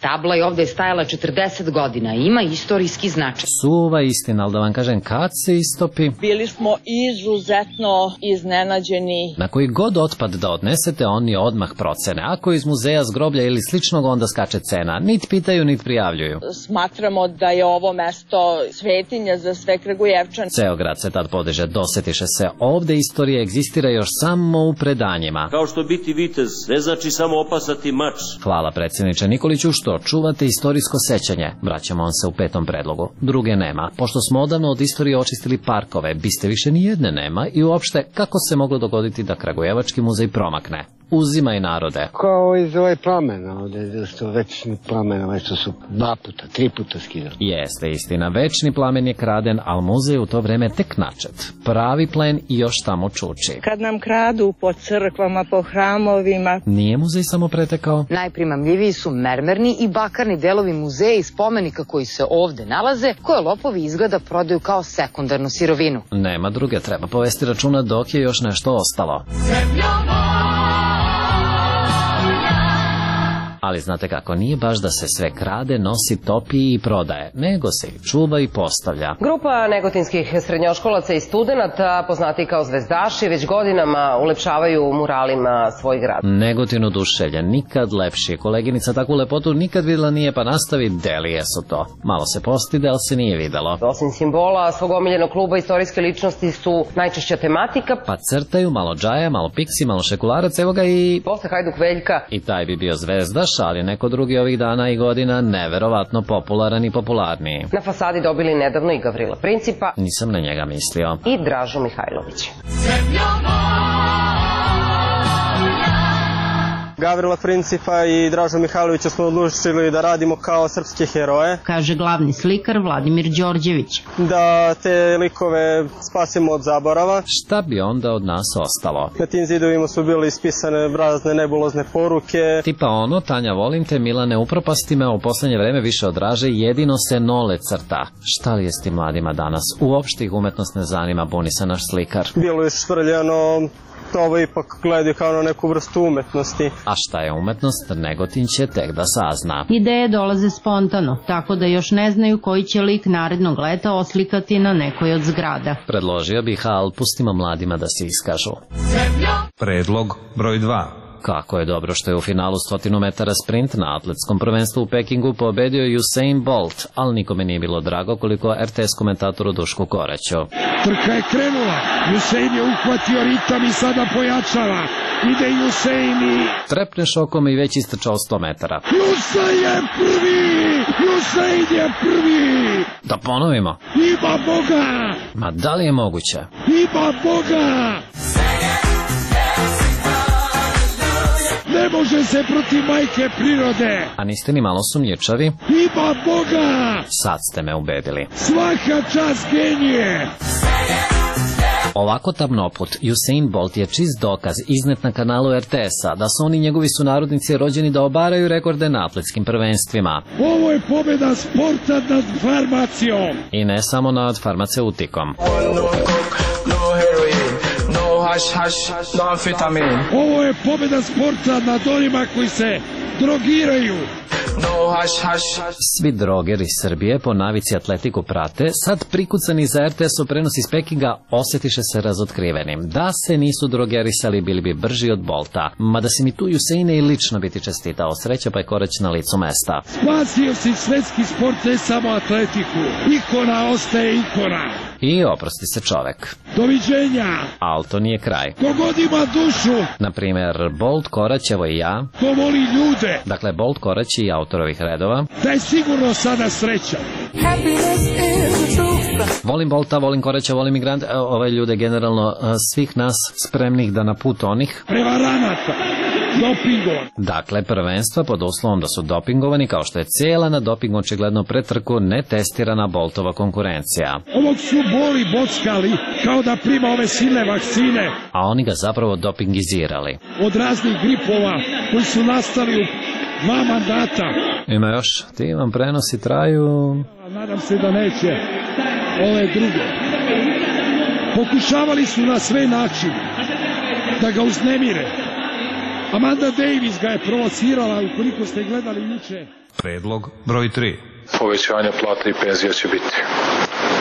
[SPEAKER 29] Tabla je ovde stajala četrdeset godina i ima istorijski značaj.
[SPEAKER 22] Suva istina, ali da vam kažem, kad se istopi?
[SPEAKER 11] Bili smo izuzetno iznenađeni.
[SPEAKER 22] Na koji god otpad da odnesete, oni odmah procene. Ako iz muzeja, zgroblja ili sličnog, onda skače cena. Nit pitaju, nit prijavljuju.
[SPEAKER 11] Smatramo da je ovo mesto svetinja za sve Kragujevčane.
[SPEAKER 22] Ceo grad se tad podiže, dosetiše se. Ovde istorija egzistira još samo u predanjima.
[SPEAKER 10] Kao što biti vitez, ne znači samo opasati mač.
[SPEAKER 22] Hvala predsjedniče Nikoliću što čuvate istorijsko sećanje. Vraćamo on se u petom predlogu. Druge nema. Pošto smo odavno od istorije očistili parkove, biste više ni jedne nema i uopšte kako se moglo dogoditi da Kragujevački muzej promakne? Uzimaj narode.
[SPEAKER 30] Kao iz ovaj plamena, ovdje što večni plamen, ovaj što su dva puta, tri puta skidali.
[SPEAKER 22] Jeste istina, večni plamen je kraden, ali muzej u to vreme tek načet. Pravi plen i još tamo čuči.
[SPEAKER 11] Kad nam kradu po crkvama, po hramovima.
[SPEAKER 22] Nije muzej samo pretekao?
[SPEAKER 29] Najprimamljiviji su mermerni i bakarni delovi muzeja i spomenika koji se ovde nalaze, koje lopovi izgleda prodaju kao sekundarnu sirovinu.
[SPEAKER 22] Nema druge, treba povesti računa dok je još nešto ostalo. Ali znate kako, nije baš da se sve krade, nosi, topi i prodaje, nego se i čuva i postavlja.
[SPEAKER 28] Grupa negotinskih srednjoškolaca i studenata, poznati kao zvezdaši, već godinama ulepšavaju muralima svoj grad.
[SPEAKER 22] Negotin oduševljen, nikad lepši. Koleginica takvu lepotu nikad videla nije, pa nastavi, delije su to. Malo se postide, ali se nije videlo.
[SPEAKER 28] Osim simbola svog omiljenog kluba, istorijske ličnosti su najčešća tematika.
[SPEAKER 22] Pa crtaju, malo džaja, malo piksi, malo šekularac, evo ga i...
[SPEAKER 28] Posle Hajduk Veljka.
[SPEAKER 22] I taj bi bio zvezdaš, ali neko drugi ovih dana i godina neverovatno popularan i popularniji.
[SPEAKER 28] Na fasadi dobili nedavno i Gavrila Principa.
[SPEAKER 22] Nisam na njega mislio.
[SPEAKER 28] I Dražu Mihajlovića.
[SPEAKER 4] Gavrila Principa i Dražu Mihajlovića smo odlučili da radimo kao srpske heroje.
[SPEAKER 7] Kaže glavni slikar Vladimir Đorđević.
[SPEAKER 4] Da te likove spasimo od zaborava.
[SPEAKER 22] Šta bi onda od nas ostalo?
[SPEAKER 4] Na tim zidovima su bile ispisane razne nebulozne poruke.
[SPEAKER 22] Tipa ono, Tanja volim te, Milane upropasti me, u poslednje vreme više odraže, jedino se nole crta. Šta li je s tim mladima danas? Uopšte ih umetnost ne zanima, buni se naš slikar.
[SPEAKER 4] Bilo je švrljano, ovo ipak gledaju kao na neku vrstu umetnosti.
[SPEAKER 22] A šta je umetnost, Negotin će tek da sazna.
[SPEAKER 7] Ideje dolaze spontano, tako da još ne znaju koji će lik narednog leta oslikati na nekoj od zgrada.
[SPEAKER 22] Predložio bih, al pustimo mladima da se iskažu.
[SPEAKER 8] Predlog broj dva.
[SPEAKER 22] Kako je dobro što je u finalu stotinu metara sprint na atletskom prvenstvu u Pekingu pobedio Usain Bolt, ali nikome nije bilo drago koliko er te es komentatoru Dušku Koraću.
[SPEAKER 9] Trka je krenula, Usain je uhvatio ritam i sada pojačava. Ide Usain i...
[SPEAKER 22] Trepne šokom i već istrčao sto metara.
[SPEAKER 9] Usain je prvi! Usain je prvi!
[SPEAKER 22] Da ponovimo.
[SPEAKER 9] Ima Boga!
[SPEAKER 22] Ma da li je moguće?
[SPEAKER 9] Ima Boga! Ne može se protiv majke prirode.
[SPEAKER 22] A niste ni malo sumnjičavi?
[SPEAKER 9] Ima Boga!
[SPEAKER 22] Sad ste me ubedili.
[SPEAKER 9] Svaka čast genije!
[SPEAKER 22] Ovako tamnoput, Usain Bolt je čist dokaz iznet na kanalu er te es-a da su oni njegovi sunarodnici rođeni da obaraju rekorde na atletskim prvenstvima.
[SPEAKER 9] Ovo je pobjeda sporta nad farmacijom.
[SPEAKER 22] I ne samo nad farmaceutikom.
[SPEAKER 9] Haš, haš, no amfetamin. Ovo je pobjeda sporta nad onima koji se drogiraju. No, haš, haš.
[SPEAKER 22] Svi drogeri Srbije po navici atletiku prate, sad prikucani za er te es u prenos iz Pekinga osjetiše se razotkrivenim. Da se nisu drogerisali, bili bi brži od Bolta. Mada si mi tu Usaine i lično biti čestitao. Sreća pa je Korać na licu mesta.
[SPEAKER 9] Spasio si svetski sport, ne samo atletiku. Ikona ostaje ikona.
[SPEAKER 22] I oprosti se čovek.
[SPEAKER 9] Doviđenja.
[SPEAKER 22] Ali to nije kraj.
[SPEAKER 9] Kogod ima dušu.
[SPEAKER 22] Naprimer, Bolt, Korać, evo i ja.
[SPEAKER 9] Ko voli ljude.
[SPEAKER 22] Dakle, Bolt, Korać i autor ovih redova.
[SPEAKER 9] Da je sigurno sada sreća.
[SPEAKER 22] Volim Bolta, volim Koraća, volim migrante, ove ljude generalno svih nas spremnih da na put onih.
[SPEAKER 9] Prevaranata. Dopingovan.
[SPEAKER 22] Dakle, prvenstva pod uslovom da su dopingovani, kao što je cijela na doping očigledno pretrku netestirana Boltova konkurencija.
[SPEAKER 9] Ovog su boli bockali kao da prima ove silne vakcine.
[SPEAKER 22] A oni ga zapravo dopingizirali.
[SPEAKER 9] Od raznih gripova koji su nastali u dva mandata.
[SPEAKER 22] Ima još, ti vam prenosi traju...
[SPEAKER 9] Nadam se da neće ove druge. Pokušavali su na sve načine da ga uznemire. Amanda Davis ga je provocirala, ukoliko ste gledali juče.
[SPEAKER 8] Predlog broj tri.
[SPEAKER 13] Povećanje plata i penzija će biti.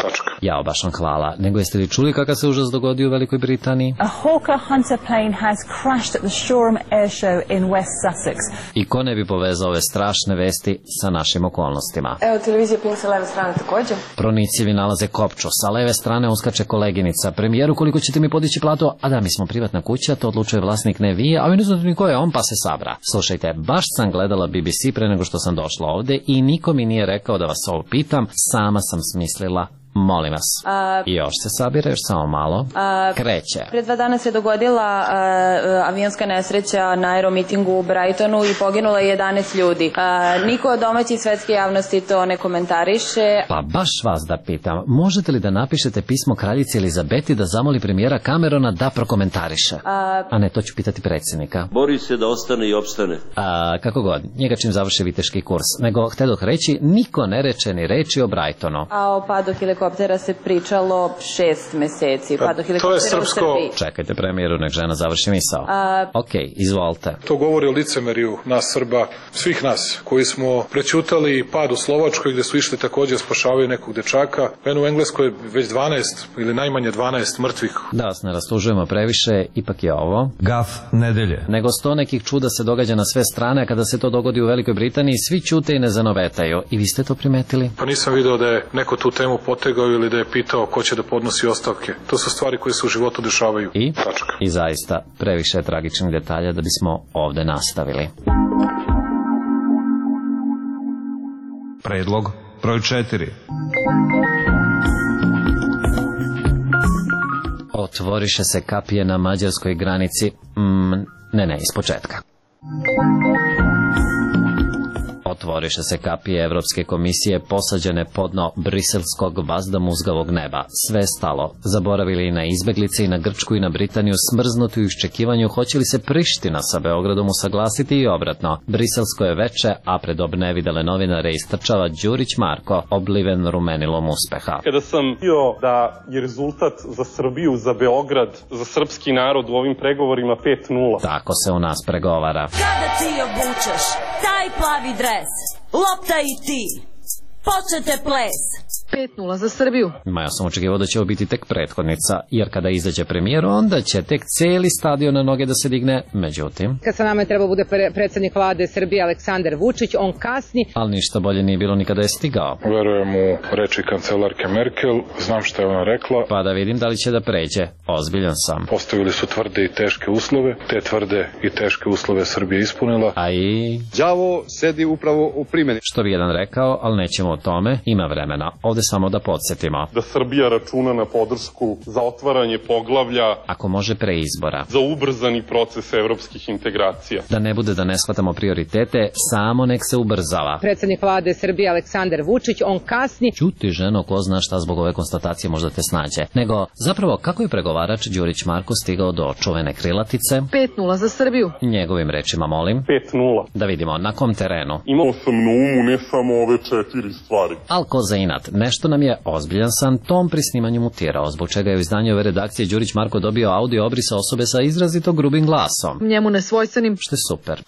[SPEAKER 13] Tačka.
[SPEAKER 22] Jao, baš vam hvala. Nego jeste li čuli kakav se užas dogodio u Velikoj Britaniji?
[SPEAKER 14] A Hawker Hunter plane has crashed at the Shoreham Air Show in West Sussex.
[SPEAKER 22] I ko ne bi povezao ove strašne vesti sa našim okolnostima?
[SPEAKER 14] Evo, televizija Pink sa leve strane također.
[SPEAKER 22] Pronicljivi nalaze kopču, sa leve strane uskače koleginica. Premijeru, koliko ćete mi podići platu? A da, mi smo privatna kuća, to odlučuje vlasnik, ne vi, a vi ne znate ni ko je on, pa se sabra. Slušajte, baš sam gledala be be ce pre nego što sam došla ovde i niko mi nije rekao da vas ovo pitam, sama sam smislila. Molim vas.
[SPEAKER 14] A,
[SPEAKER 22] još se sabira, još samo malo.
[SPEAKER 14] A,
[SPEAKER 22] Kreće.
[SPEAKER 14] Pre dva dana se dogodila a, avionska nesreća na aeromitingu u Brightonu i poginulo je jedanaest ljudi. A, niko od domaće i svetske javnosti to ne komentariše.
[SPEAKER 22] Pa baš vas da pitam, možete li da napišete pismo kraljici Elizabeti da zamoli premijera Camerona da prokomentariše?
[SPEAKER 14] A,
[SPEAKER 22] A ne, to ću pitati predsjednika.
[SPEAKER 10] Bori se da ostane i opstane.
[SPEAKER 22] A, kako god, njega čim završi viteški kurs. Nego, htedoh reći, niko ne reče ni reči o Brightonu.
[SPEAKER 14] A o padu helikoptera se pričalo šest meseci.
[SPEAKER 13] Pa, to je srpsko...
[SPEAKER 22] Čekajte premijeru, nek žena završi misao.
[SPEAKER 14] A...
[SPEAKER 22] Ok, izvolite.
[SPEAKER 13] To govori o licemeriju nas Srba, svih nas, koji smo prećutali pad u Slovačkoj gde su išli također spašavaju nekog dečaka. Eno u Engleskoj je već dvanaest ili najmanje dvanaest mrtvih.
[SPEAKER 22] Da vas ne rastužujemo previše, ipak je ovo
[SPEAKER 8] Gaf nedelje.
[SPEAKER 22] Nego sto nekih čuda se događa na sve strane, a kada se to dogodi u Velikoj Britaniji, svi ćute i ne zanovetaju. I vi ste to primetili?
[SPEAKER 13] Pa nisam video da je neko tu temu potegao ili da je pitao ko će da podnosi ostavke. To su stvari koje se u životu dešavaju.
[SPEAKER 22] I?
[SPEAKER 13] Tačka.
[SPEAKER 22] I zaista, previše je tragičnih detalja da bismo ovde nastavili.
[SPEAKER 8] Predlog broj četiri.
[SPEAKER 22] Otvoriše se kapije na mađarskoj granici. Mm, ne, ne, iz početka. Otvoriše se kapije Evropske komisije posađene pod dno briselskog vazdamuzgavog neba. Sve stalo. Zaboravili i na izbeglice i na Grčku i na Britaniju, smrznuti u iščekivanju hoće li se Priština sa Beogradom usaglasiti i obratno. Briselsko je veče, a pred obnevidele novinare istrčava Đurić Marko, obliven rumenilom uspeha.
[SPEAKER 3] Kada sam bio da je rezultat za Srbiju, za Beograd, za srpski narod u ovim pregovorima pet nula.
[SPEAKER 22] Tako se u nas pregovara.
[SPEAKER 15] Kada ti obučeš taj plavi dres, lopta i ti, počete ples.
[SPEAKER 17] pet nula za Srbiju.
[SPEAKER 22] Ma ja sam očekivao da će ovo biti tek prethodnica, jer kada izađe premijer, onda će tek celi stadion na noge da se digne, međutim...
[SPEAKER 29] Kad sa nama je trebao bude predsjednik vlade Srbije Aleksandar Vučić, on kasni.
[SPEAKER 22] Ali ništa bolje nije bilo nikada je stigao.
[SPEAKER 13] Verujem u reči kancelarke Merkel, znam šta je ona rekla.
[SPEAKER 22] Pa da vidim da li će da pređe. Ozbiljan sam.
[SPEAKER 13] Postavili su tvrde i teške uslove, te tvrde i teške uslove Srbije ispunila.
[SPEAKER 22] A i...
[SPEAKER 19] đavo sedi upravo u primjeni.
[SPEAKER 22] Što bi jedan rekao, ali nećemo o tome, ima vremena. Ovde samo da podsjetimo.
[SPEAKER 3] Da Srbija računa na podršku za otvaranje poglavlja,
[SPEAKER 22] ako može pre izbora,
[SPEAKER 3] za ubrzani proces evropskih integracija.
[SPEAKER 22] Da ne bude da ne shvatamo prioritete, samo nek se ubrzava.
[SPEAKER 29] Predsjednik vlade Srbije Aleksandar Vučić, on kasni.
[SPEAKER 22] Ćuti ženo, ko zna šta zbog ove konstatacije možda te snađe. Nego, zapravo, kako je pregovarač Đurić Marko stigao do čuvene krilatice?
[SPEAKER 17] pet nula za Srbiju.
[SPEAKER 22] Njegovim rečima, molim.
[SPEAKER 3] pet nula.
[SPEAKER 22] Da vidimo, na kom terenu?
[SPEAKER 3] Imao sam na umu ne samo ove četiri stvari.
[SPEAKER 22] Al ko za inat, nešto nam je ozbiljan san tom pri snimanju mutirao, zbog čega je u izdanju ove redakcije Đurić Marko dobio audio obrisa osobe sa izrazito grubim glasom.
[SPEAKER 17] Njemu nesvojstvenim.
[SPEAKER 22] Što je super.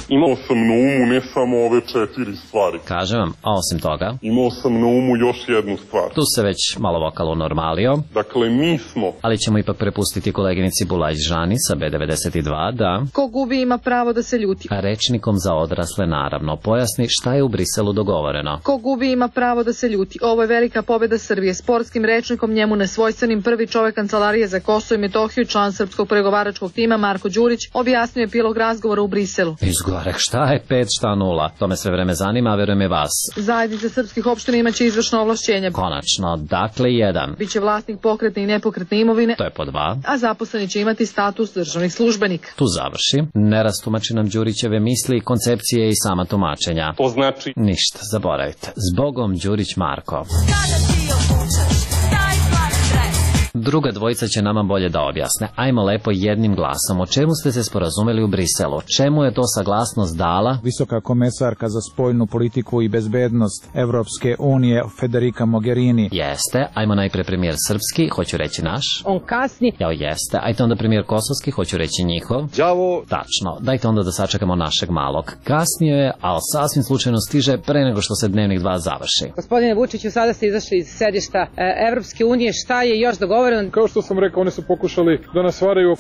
[SPEAKER 3] Imao sam na umu ne samo ove četiri stvari.
[SPEAKER 22] Kažem vam, a osim toga...
[SPEAKER 3] Imao sam na umu još jednu stvar.
[SPEAKER 22] Tu se već malo vokal unormalio.
[SPEAKER 3] Dakle, mi smo...
[SPEAKER 22] Ali ćemo ipak prepustiti koleginici Bulaj Žani sa B devedeset dva da...
[SPEAKER 17] Ko gubi ima pravo da se ljuti.
[SPEAKER 22] A rečnikom za odrasle naravno pojasni šta je u Briselu dogovoreno.
[SPEAKER 17] Ko gubi ima pravo da se ljuti. Ovo je velika pobjeda Srbije. Sportskim rečnikom njemu nesvojstvenim prvi čovek Kancelarije za Kosovo i Metohiju, član srpskog pregovaračkog tima Marko Đurić, objasnio je epilog razgovora u Briselu.
[SPEAKER 22] Izgorek, šta je pet, šta nula? To me sve vreme zanima, a verujem i vas.
[SPEAKER 17] Zajednica srpskih opština imaće izvršno ovlašćenje.
[SPEAKER 22] Konačno, dakle jedan.
[SPEAKER 17] Biće vlasnik pokretne i nepokretne imovine.
[SPEAKER 22] To je po dva.
[SPEAKER 17] A zaposleni će imati status državnih službenika.
[SPEAKER 22] Tu završi. Ne rastumači nam Đurićeve misli, koncepcije i sama tumačenja.
[SPEAKER 3] To znači...
[SPEAKER 22] Ništa, zaboravite. Zbogom Đurić Marko.
[SPEAKER 15] Kada ti obučeš taj plavi dres.
[SPEAKER 22] Druga dvojica će nama bolje da objasne. Ajmo lepo jednim glasom. O čemu ste se sporazumeli u Briselu? Čemu je to saglasnost dala?
[SPEAKER 20] Visoka komesarka za spoljnu politiku i bezbednost Evropske unije Federica Mogherini.
[SPEAKER 22] Jeste. Ajmo najpre premijer srpski, hoću reći naš.
[SPEAKER 29] On kasni.
[SPEAKER 22] Jao, jeste. Ajte onda premijer kosovski, hoću reći njihov.
[SPEAKER 19] đavo.
[SPEAKER 22] Tačno. Dajte onda da sačekamo našeg malog. Kasnije je, ali sasvim slučajno stiže pre nego što se dnevnik dva završi.
[SPEAKER 29] Gospodine Vučiću, sada ste izašli iz sedišta Evropske unije. Šta je još dogovoreno?
[SPEAKER 13] Kao što sam rekao, oni su pokušali da nas varaju.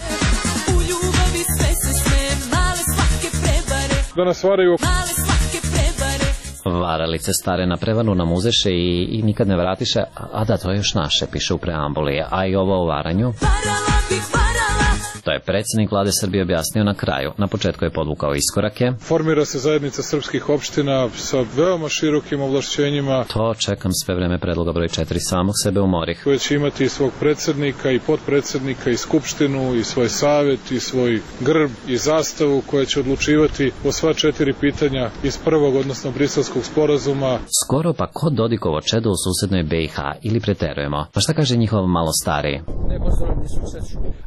[SPEAKER 15] U ljubavi sve se sme, male svake prebare.
[SPEAKER 13] Da nas varaju.
[SPEAKER 15] Male svake prebare.
[SPEAKER 22] Varalice stare na prevaru nam uzeše i, i nikad ne vratiše. A, a da, to je još naše, piše u preambuli. A i ovo o varanju?
[SPEAKER 15] Varala bih varala.
[SPEAKER 22] To je predsjednik vlade Srbije objasnio na kraju. Na početku je podvukao iskorake.
[SPEAKER 13] Formira se zajednica srpskih opština sa veoma širokim ovlašćenjima.
[SPEAKER 22] To čekam sve vreme predloga broj četiri, samog sebe umorih.
[SPEAKER 13] Koje će imati i svog predsjednika i potpredsjednika i skupštinu i svoj savjet i svoj grb i zastavu koja će odlučivati o sva četiri pitanja iz prvog, odnosno briselskog sporazuma.
[SPEAKER 22] Skoro pa ko Dodikovo čedo u susednoj B i H ili preterujemo? Pa šta kaže njihov malo stariji?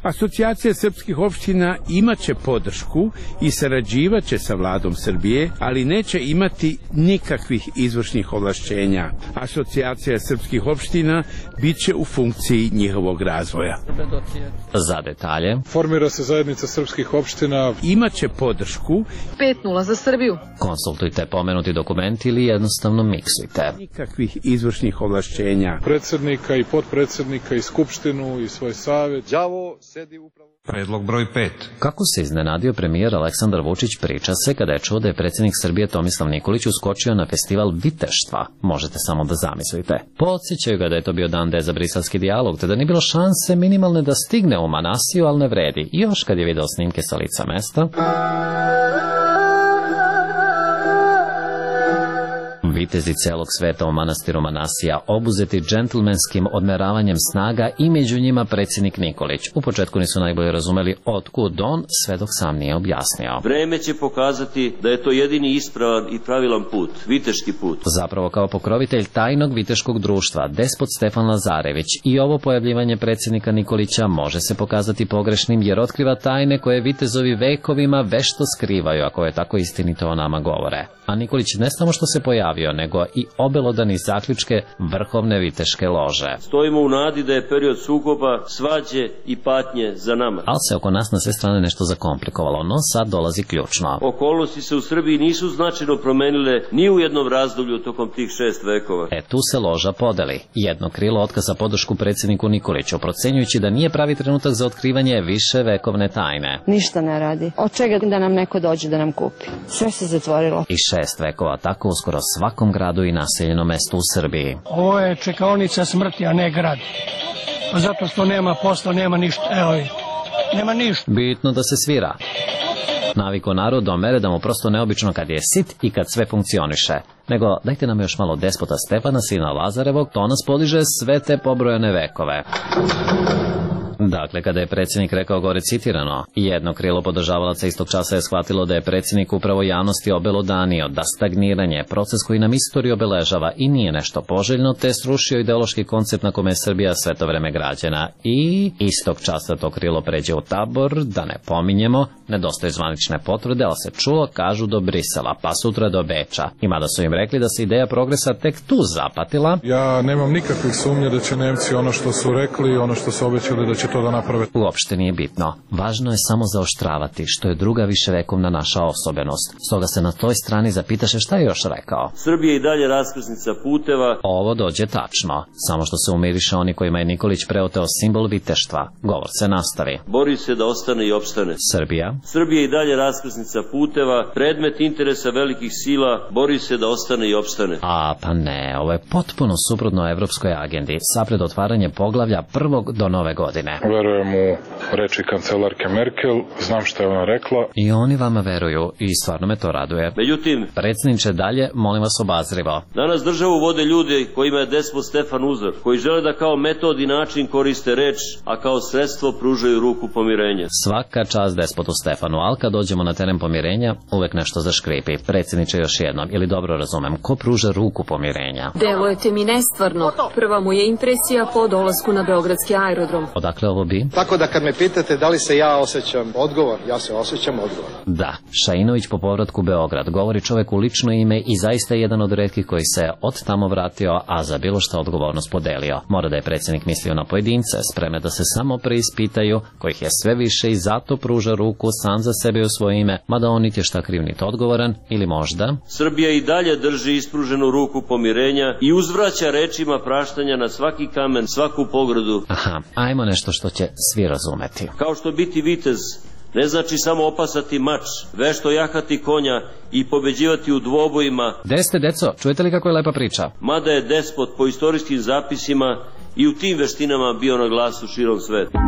[SPEAKER 20] Asocijacija srpskih opština imaće podršku i sarađivaće sa vladom Srbije, ali neće imati nikakvih izvršnih ovlašćenja. Asocijacija srpskih opština biće u funkciji njihovog razvoja.
[SPEAKER 22] Za detalje.
[SPEAKER 13] Formira se zajednica srpskih opština.
[SPEAKER 20] Imaće podršku.
[SPEAKER 17] pet nula za Srbiju.
[SPEAKER 22] Konsultujte pomenuti dokument ili jednostavno miksujte.
[SPEAKER 20] Nikakvih izvršnih ovlašćenja.
[SPEAKER 13] Predsjednika i potpredsjednika i skupštinu i svoj savjet.
[SPEAKER 19] đavo sedi upravo...
[SPEAKER 8] Predlog broj pet.
[SPEAKER 22] Kako se iznenadio premijer Aleksandar Vučić priča se kada je čuo da je predsjednik Srbije Tomislav Nikolić uskočio na festival viteštva. Možete samo da zamislite. Podsjećaju ga da je to bio dan D za briselski dijalog, te da nije bilo šanse minimalne da stigne u Manasiju, ali ne vredi. I još kad je video snimke sa lica mesta... vitezi celog sveta u manastiru Manasija obuzeti džentlmenskim odmeravanjem snaga i među njima predsjednik Nikolić. U početku nisu najbolje razumeli otkud on, sve dok sam nije objasnio.
[SPEAKER 10] Vreme će pokazati da je to jedini ispravan i pravilan put, viteški put.
[SPEAKER 22] Zapravo kao pokrovitelj tajnog viteškog društva, despot Stefan Lazarević, i ovo pojavljivanje predsjednika Nikolića može se pokazati pogrešnim jer otkriva tajne koje vitezovi vekovima vešto skrivaju, ako je tako istinito o nama govore. A Nikolić ne samo što se pojavio, nego i obelodani zaključke vrhovne viteške lože.
[SPEAKER 10] Stojimo u nadi da je period sukoba, svađe i patnje za nama.
[SPEAKER 22] Ali se oko nas na sve strane nešto zakomplikovalo, no sad dolazi ključno.
[SPEAKER 10] Okolnosti se u Srbiji nisu značajno promenile ni u jednom razdoblju tokom tih šest vekova.
[SPEAKER 22] E tu se loža podeli. Jedno krilo otkaza podršku predsjedniku Nikoliću, procenjujući da nije pravi trenutak za otkrivanje više vekovne tajne.
[SPEAKER 23] Ništa ne radi. Od čega da nam neko dođe da nam kupi? Sve se zatvorilo.
[SPEAKER 22] I šest vekova, tako uskoro svakom gradu i naseljenom mestu u Srbiji.
[SPEAKER 2] Ovo je čekaonica smrti, a ne grad. Zato što nema posla, nema ništa. Evo, nema ništa.
[SPEAKER 22] Bitno da se svira. Naviko narod do mere da mu prosto neobično kad je sit i kad sve funkcioniše. Nego dajte nam još malo despota Stefana, sina Lazarevog, to nas podiže sve te pobrojane vekove. Dakle, kada je predsjednik rekao gore citirano, jedno krilo podržavalaca istog časa je shvatilo da je predsjednik upravo javnosti obelodanio, da stagniranje, proces koji nam istoriju obeležava i nije nešto poželjno, te srušio ideološki koncept na kome je Srbija sve to vreme građena. I istog časa to krilo pređe u tabor, da ne pominjemo, nedostaju zvanične potvrde, ali se čulo, kažu do Brisela, pa sutra do Beča. I mada su im rekli da se ideja progresa tek tu zapatila.
[SPEAKER 13] Ja nemam nikakvih sumnje da će Nemci ono što su rekli, ono što su obećali da će to da naprave.
[SPEAKER 22] Uopšte nije bitno. Važno je samo zaoštravati, što je druga viševekovna naša osobenost. Stoga se na toj strani zapitaše šta je još rekao.
[SPEAKER 10] Srbija i dalje raskrsnica puteva.
[SPEAKER 22] Ovo dođe tačno, samo što se umiriše oni kojima je Nikolić preoteo simbol viteštva. Govor se nastavi.
[SPEAKER 10] Bori se da ostane i opstane.
[SPEAKER 22] Srbija.
[SPEAKER 10] Srbija i dalje raskrsnica puteva, predmet interesa velikih sila, bori se da ostane i opstane.
[SPEAKER 22] A pa ne, ovo je potpuno suprotno evropskoj agendi, sapred otvaranje poglavlja prvog do nove godine.
[SPEAKER 13] Verujem u reči kancelarke Merkel, znam šta je ona rekla.
[SPEAKER 22] I oni vama veruju i stvarno me to raduje.
[SPEAKER 10] Međutim,
[SPEAKER 22] predsjedniče dalje, molim vas obazrivo.
[SPEAKER 10] Danas državu vode ljudi kojima je despot Stefan uzor, koji žele da kao metod i način koriste reč, a kao sredstvo pružaju ruku pomirenja.
[SPEAKER 22] Svaka čast despotu Stefanu, ali kad dođemo na teren pomirenja, uvek nešto zaškripi. Predsjedniče još jednom, ili dobro razumem, ko pruža ruku pomirenja?
[SPEAKER 5] Delujete mi nestvarno. Prva mu je impresija po dolasku na beogradski aerodrom.
[SPEAKER 22] Odakle ovo bi?
[SPEAKER 6] Tako da kad me pitate da li se ja osjećam odgovor, ja se osjećam odgovor.
[SPEAKER 22] Da, Šainović po povratku u Beograd govori čovek u lično ime i zaista je jedan od retkih koji se od tamo vratio, a za bilo šta odgovornost podelio. Mora da je predsjednik mislio na pojedince, spremne da se samo preispitaju, kojih je sve više i zato pruža ruku sam za sebe u svoje ime, mada on niti je šta kriv niti odgovoran, ili možda...
[SPEAKER 10] Srbija i dalje drži ispruženu ruku pomirenja i uzvraća rečima praštanja na svaki kamen, svaku pogradu.
[SPEAKER 22] Aha, ajmo nešto što će svi razumeti.
[SPEAKER 10] Kao što biti vitez ne znači samo opasati mač, vešto jahati konja i pobeđivati u dvobojima.
[SPEAKER 22] Gde ste, deco? Čujete li kako je lepa priča?
[SPEAKER 10] Mada je despot po istorijskim zapisima i u tim veštinama bio na glasu širom sveta.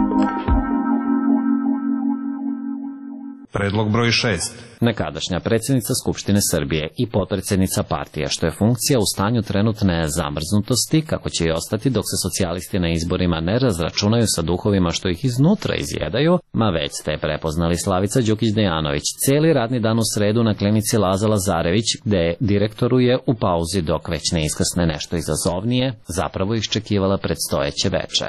[SPEAKER 8] Predlog broj šest.
[SPEAKER 22] Nekadašnja predsjednica Skupštine Srbije i potpredsjednica partije, što je funkcija u stanju trenutne zamrznutosti, kako će i ostati dok se socijalisti na izborima ne razračunaju sa duhovima što ih iznutra izjedaju, ma već ste prepoznali Slavica Đukić-Dejanović cijeli radni dan u sredu na klinici Laza Lazarević, gde direktoruje u pauzi dok već ne iskrsne nešto izazovnije, zapravo iščekivala predstojeće veče.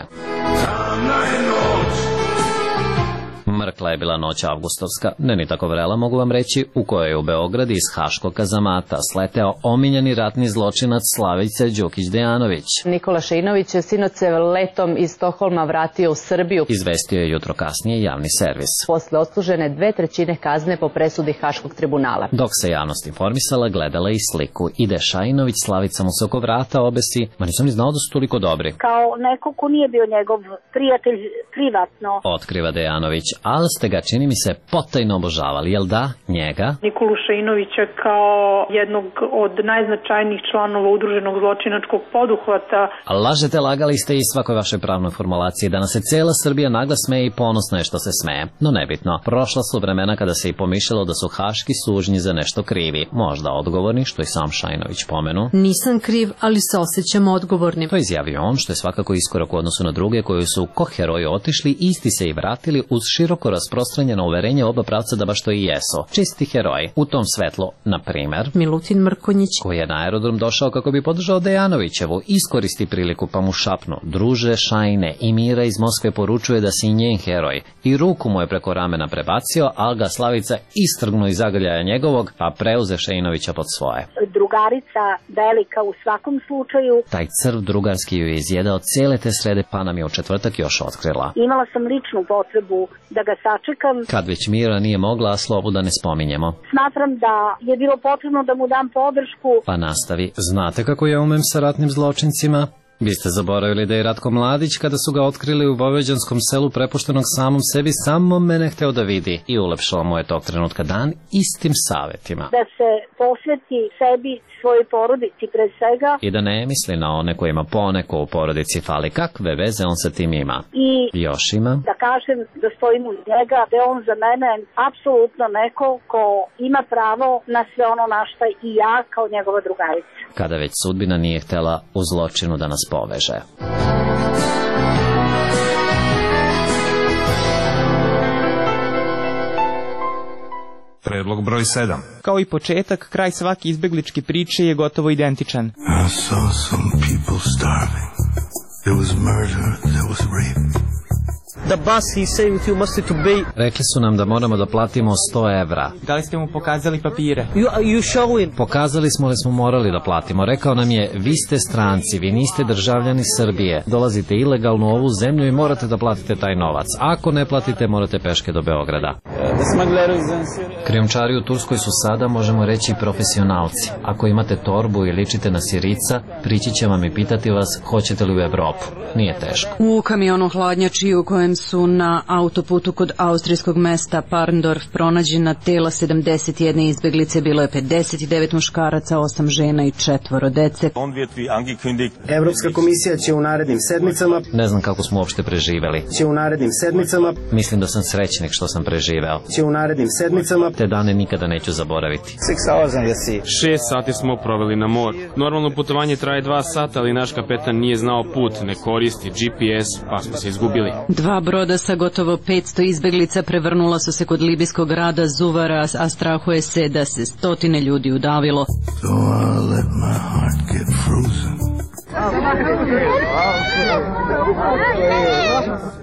[SPEAKER 22] Mrkla je bila noć avgustovska, ne ni tako vrela mogu vam reći, u kojoj je u Beograd iz haškog kazamata sleteo omiljeni ratni zločinac Slavica Đukić-Dejanović.
[SPEAKER 16] Nikola Šainović je sinoć se letom iz Stokholma vratio u Srbiju.
[SPEAKER 22] Izvestio je jutro kasnije javni servis.
[SPEAKER 16] Posle odslužene dve trećine kazne po presudi Haškog tribunala.
[SPEAKER 22] Dok se javnost informisala, gledala i sliku. Ide Šainović, Slavica mu se oko vrata obesi, ma nisam ni znao da su toliko dobri.
[SPEAKER 18] Kao neko ko nije bio njegov prijatelj privatno.
[SPEAKER 22] Otkriva Dejanović, ali ali ste ga, čini mi se, potajno obožavali, jel da? Njega?
[SPEAKER 1] Nikolu Šainovića kao jednog od najznačajnijih članova udruženog zločinačkog poduhvata.
[SPEAKER 22] Lažete, lagali ste i svakoj vašoj pravnoj formulaciji da nas se cijela Srbija nagla smeje i ponosna je što se smeje. No nebitno, prošla su vremena kada se i pomišljalo da su haški sužnji za nešto krivi. Možda odgovorni, što i sam Šainović pomenu.
[SPEAKER 11] Nisam kriv, ali se osjećam odgovornim.
[SPEAKER 22] To izjavio on, što je svakako iskorak u odnosu na druge koji su ko heroji otišli, isti se i vratili uz široko rasprostranjeno uverenje oba pravca da baš to i jesu. Čisti heroji. U tom svetlu, na primer,
[SPEAKER 11] Milutin Mrkonjić,
[SPEAKER 22] koji je na aerodrom došao kako bi podržao Dejanovićevu, iskoristi priliku pa mu šapnu: druže Šajne, i Mira iz Moskve poručuje da si njen heroj. I ruku mu je preko ramena prebacio, ali ga Slavica istrgnu iz zagrljaja njegovog, pa preuze Šainovića pod svoje.
[SPEAKER 12] Drugarica velika u svakom slučaju.
[SPEAKER 22] Taj crv drugarski ju je izjedao cijele te srede, pa nam je u četvrtak još otkrila.
[SPEAKER 12] Imala sam ličnu potrebu da ga sačekam.
[SPEAKER 22] Kad već Mira nije mogla, a Slobu da ne spominjemo.
[SPEAKER 12] Smatram da je bilo potrebno da mu dam podršku.
[SPEAKER 22] Pa nastavi: znate kako ja umem sa ratnim zločincima? Vi ste zaboravili da je Ratko Mladić, kada su ga otkrili u vojvođanskom selu prepuštenog samom sebi, samo mene hteo da vidi i ulepšao mu je tog trenutka dan istim savjetima.
[SPEAKER 12] Da se posveti sebi, svojoj porodici pre svega.
[SPEAKER 22] I da ne misli na one kojima poneko u porodici fali. Kakve veze on sa tim ima?
[SPEAKER 12] I
[SPEAKER 22] još ima?
[SPEAKER 12] Da kažem da stojim uz njega, da je on za mene apsolutno neko ko ima pravo na sve ono na šta i ja kao njegova drugarica.
[SPEAKER 22] Kada već sudbina nije htela u zločinu da nas poveže.
[SPEAKER 8] Predlog broj sedam.
[SPEAKER 18] Kao i početak, kraj svake izbegličke priče je gotovo identičan.
[SPEAKER 21] I saw some people starving. There was murder, there was rape.
[SPEAKER 24] The bus he saying you must to pay.
[SPEAKER 22] Rekli su nam da moramo da platimo sto evra.
[SPEAKER 18] Da li ste mu pokazali papire?
[SPEAKER 24] You, you show him.
[SPEAKER 22] Pokazali smo li smo morali da platimo. Rekao nam je: vi ste stranci, vi niste državljani Srbije. Dolazite ilegalno u ovu zemlju i morate da platite taj novac. Ako ne platite, morate peške do Beograda. Krijumčari u Turskoj su sada, možemo reći, profesionalci. Ako imate torbu i ličite na Sirica, prići će vam i pitati vas hoćete li u Evropu. Nije teško.
[SPEAKER 11] U kamionu hladnjači u kojem su na autoputu kod austrijskog mesta Parndorf pronađena tela sedamdeset jedne izbeglice, bilo je pedeset devet muškaraca, osam žena i četvoro dece.
[SPEAKER 25] Evropska komisija će u narednim sedmicama...
[SPEAKER 22] Ne znam kako smo uopšte preživeli.
[SPEAKER 25] Će u narednim sedmicama...
[SPEAKER 22] Mislim da sam srećnik što sam preživeo.
[SPEAKER 25] Će u narednim sedmicama...
[SPEAKER 22] Te dane nikada neću zaboraviti.
[SPEAKER 26] Šest sati smo proveli na moru. Normalno putovanje traje dva sata, ali naš kapetan nije znao put, ne koristi G P S, pa smo se izgubili.
[SPEAKER 11] Dva broda sa gotovo petsto izbeglica prevrnula su se kod libijskog grada Zuvara, a strahuje se da se stotine ljudi udavilo.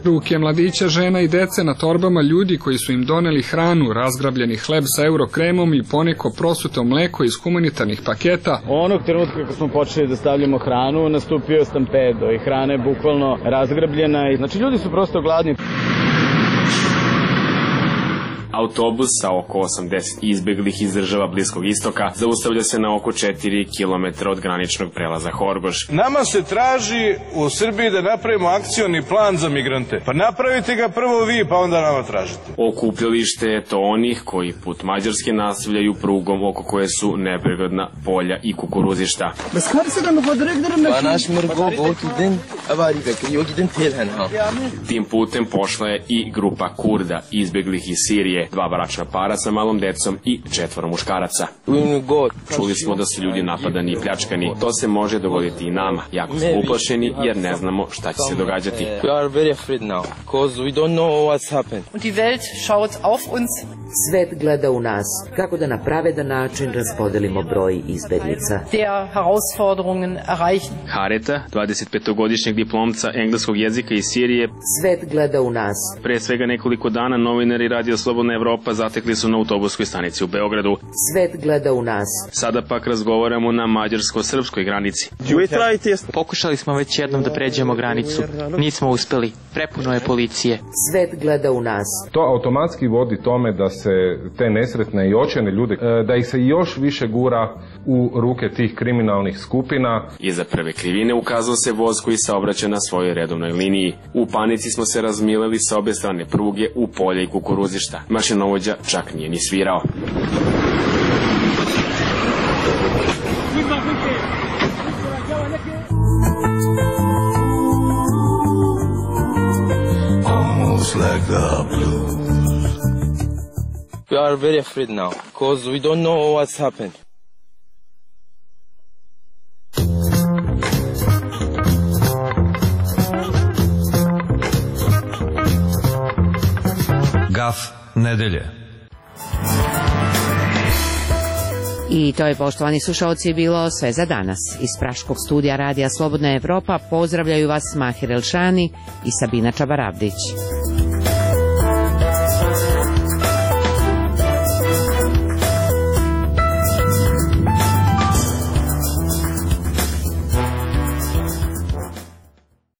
[SPEAKER 13] Ruke mladića, žena i dece na torbama, ljudi koji su im doneli hranu, razgrabljeni hleb sa eurokremom i poneko prosuto mleko iz humanitarnih paketa.
[SPEAKER 27] Onog trenutka kako smo počeli da stavljamo hranu, nastupio stampedo i hrana je bukvalno razgrabljena. Znači ljudi su prosto gladni.
[SPEAKER 26] Autobus sa oko osamdeset izbeglih iz država Bliskog istoka zaustavlja se na oko četiri kilometra od graničnog prelaza Horgoš.
[SPEAKER 30] Nama se traži u Srbiji da napravimo akcioni plan za migrante. Pa napravite ga prvo vi, pa onda nama tražite.
[SPEAKER 26] Okupljalište je to onih koji put Mađarske nastavljaju prugom oko koje su neprirodna polja i kukuruzišta. Tim putem pošla je i grupa Kurda izbeglih iz Sirije, dva bračna para sa malom decom i četvoro muškaraca. Čuli smo da su ljudi napadani i pljačkani. To se može dogoditi i nama. Jako smo uplašeni jer ne znamo šta će se događati.
[SPEAKER 31] Svet gleda u nas kako da na pravedan način raspodelimo broj izbeglica.
[SPEAKER 26] Hareta, dvadesetpetogodišnjeg diplomca engleskog jezika iz Sirije.
[SPEAKER 31] Svet gleda u nas.
[SPEAKER 26] Pre svega nekoliko dana novinari Radio Slobodna Evropa zatekli su na autobuskoj stanici u Beogradu.
[SPEAKER 31] Svet gleda u nas.
[SPEAKER 26] Sada pak razgovaramo na mađarsko-srpskoj granici.
[SPEAKER 18] Pokušali smo već jednom da pređemo granicu. Nismo uspeli. Prepuno je policije.
[SPEAKER 31] Svet gleda u nas.
[SPEAKER 32] To automatski vodi tome da
[SPEAKER 3] se te nesretne i očajne ljude, da ih se još više gura u ruke tih kriminalnih skupina.
[SPEAKER 26] Iza prve krivine ukazao se voz koji saobraća na svojoj redovnoj liniji. U panici smo se razmileli sa obe strane pruge u polje i kukuruzišta. Mašinovođa čak nije ni svirao.
[SPEAKER 21] Almost like the blues.
[SPEAKER 24] We are very afraid now because we don't know what's happened.
[SPEAKER 8] Gaf nedelje.
[SPEAKER 4] I to je, poštovani slušalci, bilo sve za danas. Iz Praškog studija Radija Slobodna Evropa pozdravljaju vas Mahir Elšani i Sabina Čabaravdić.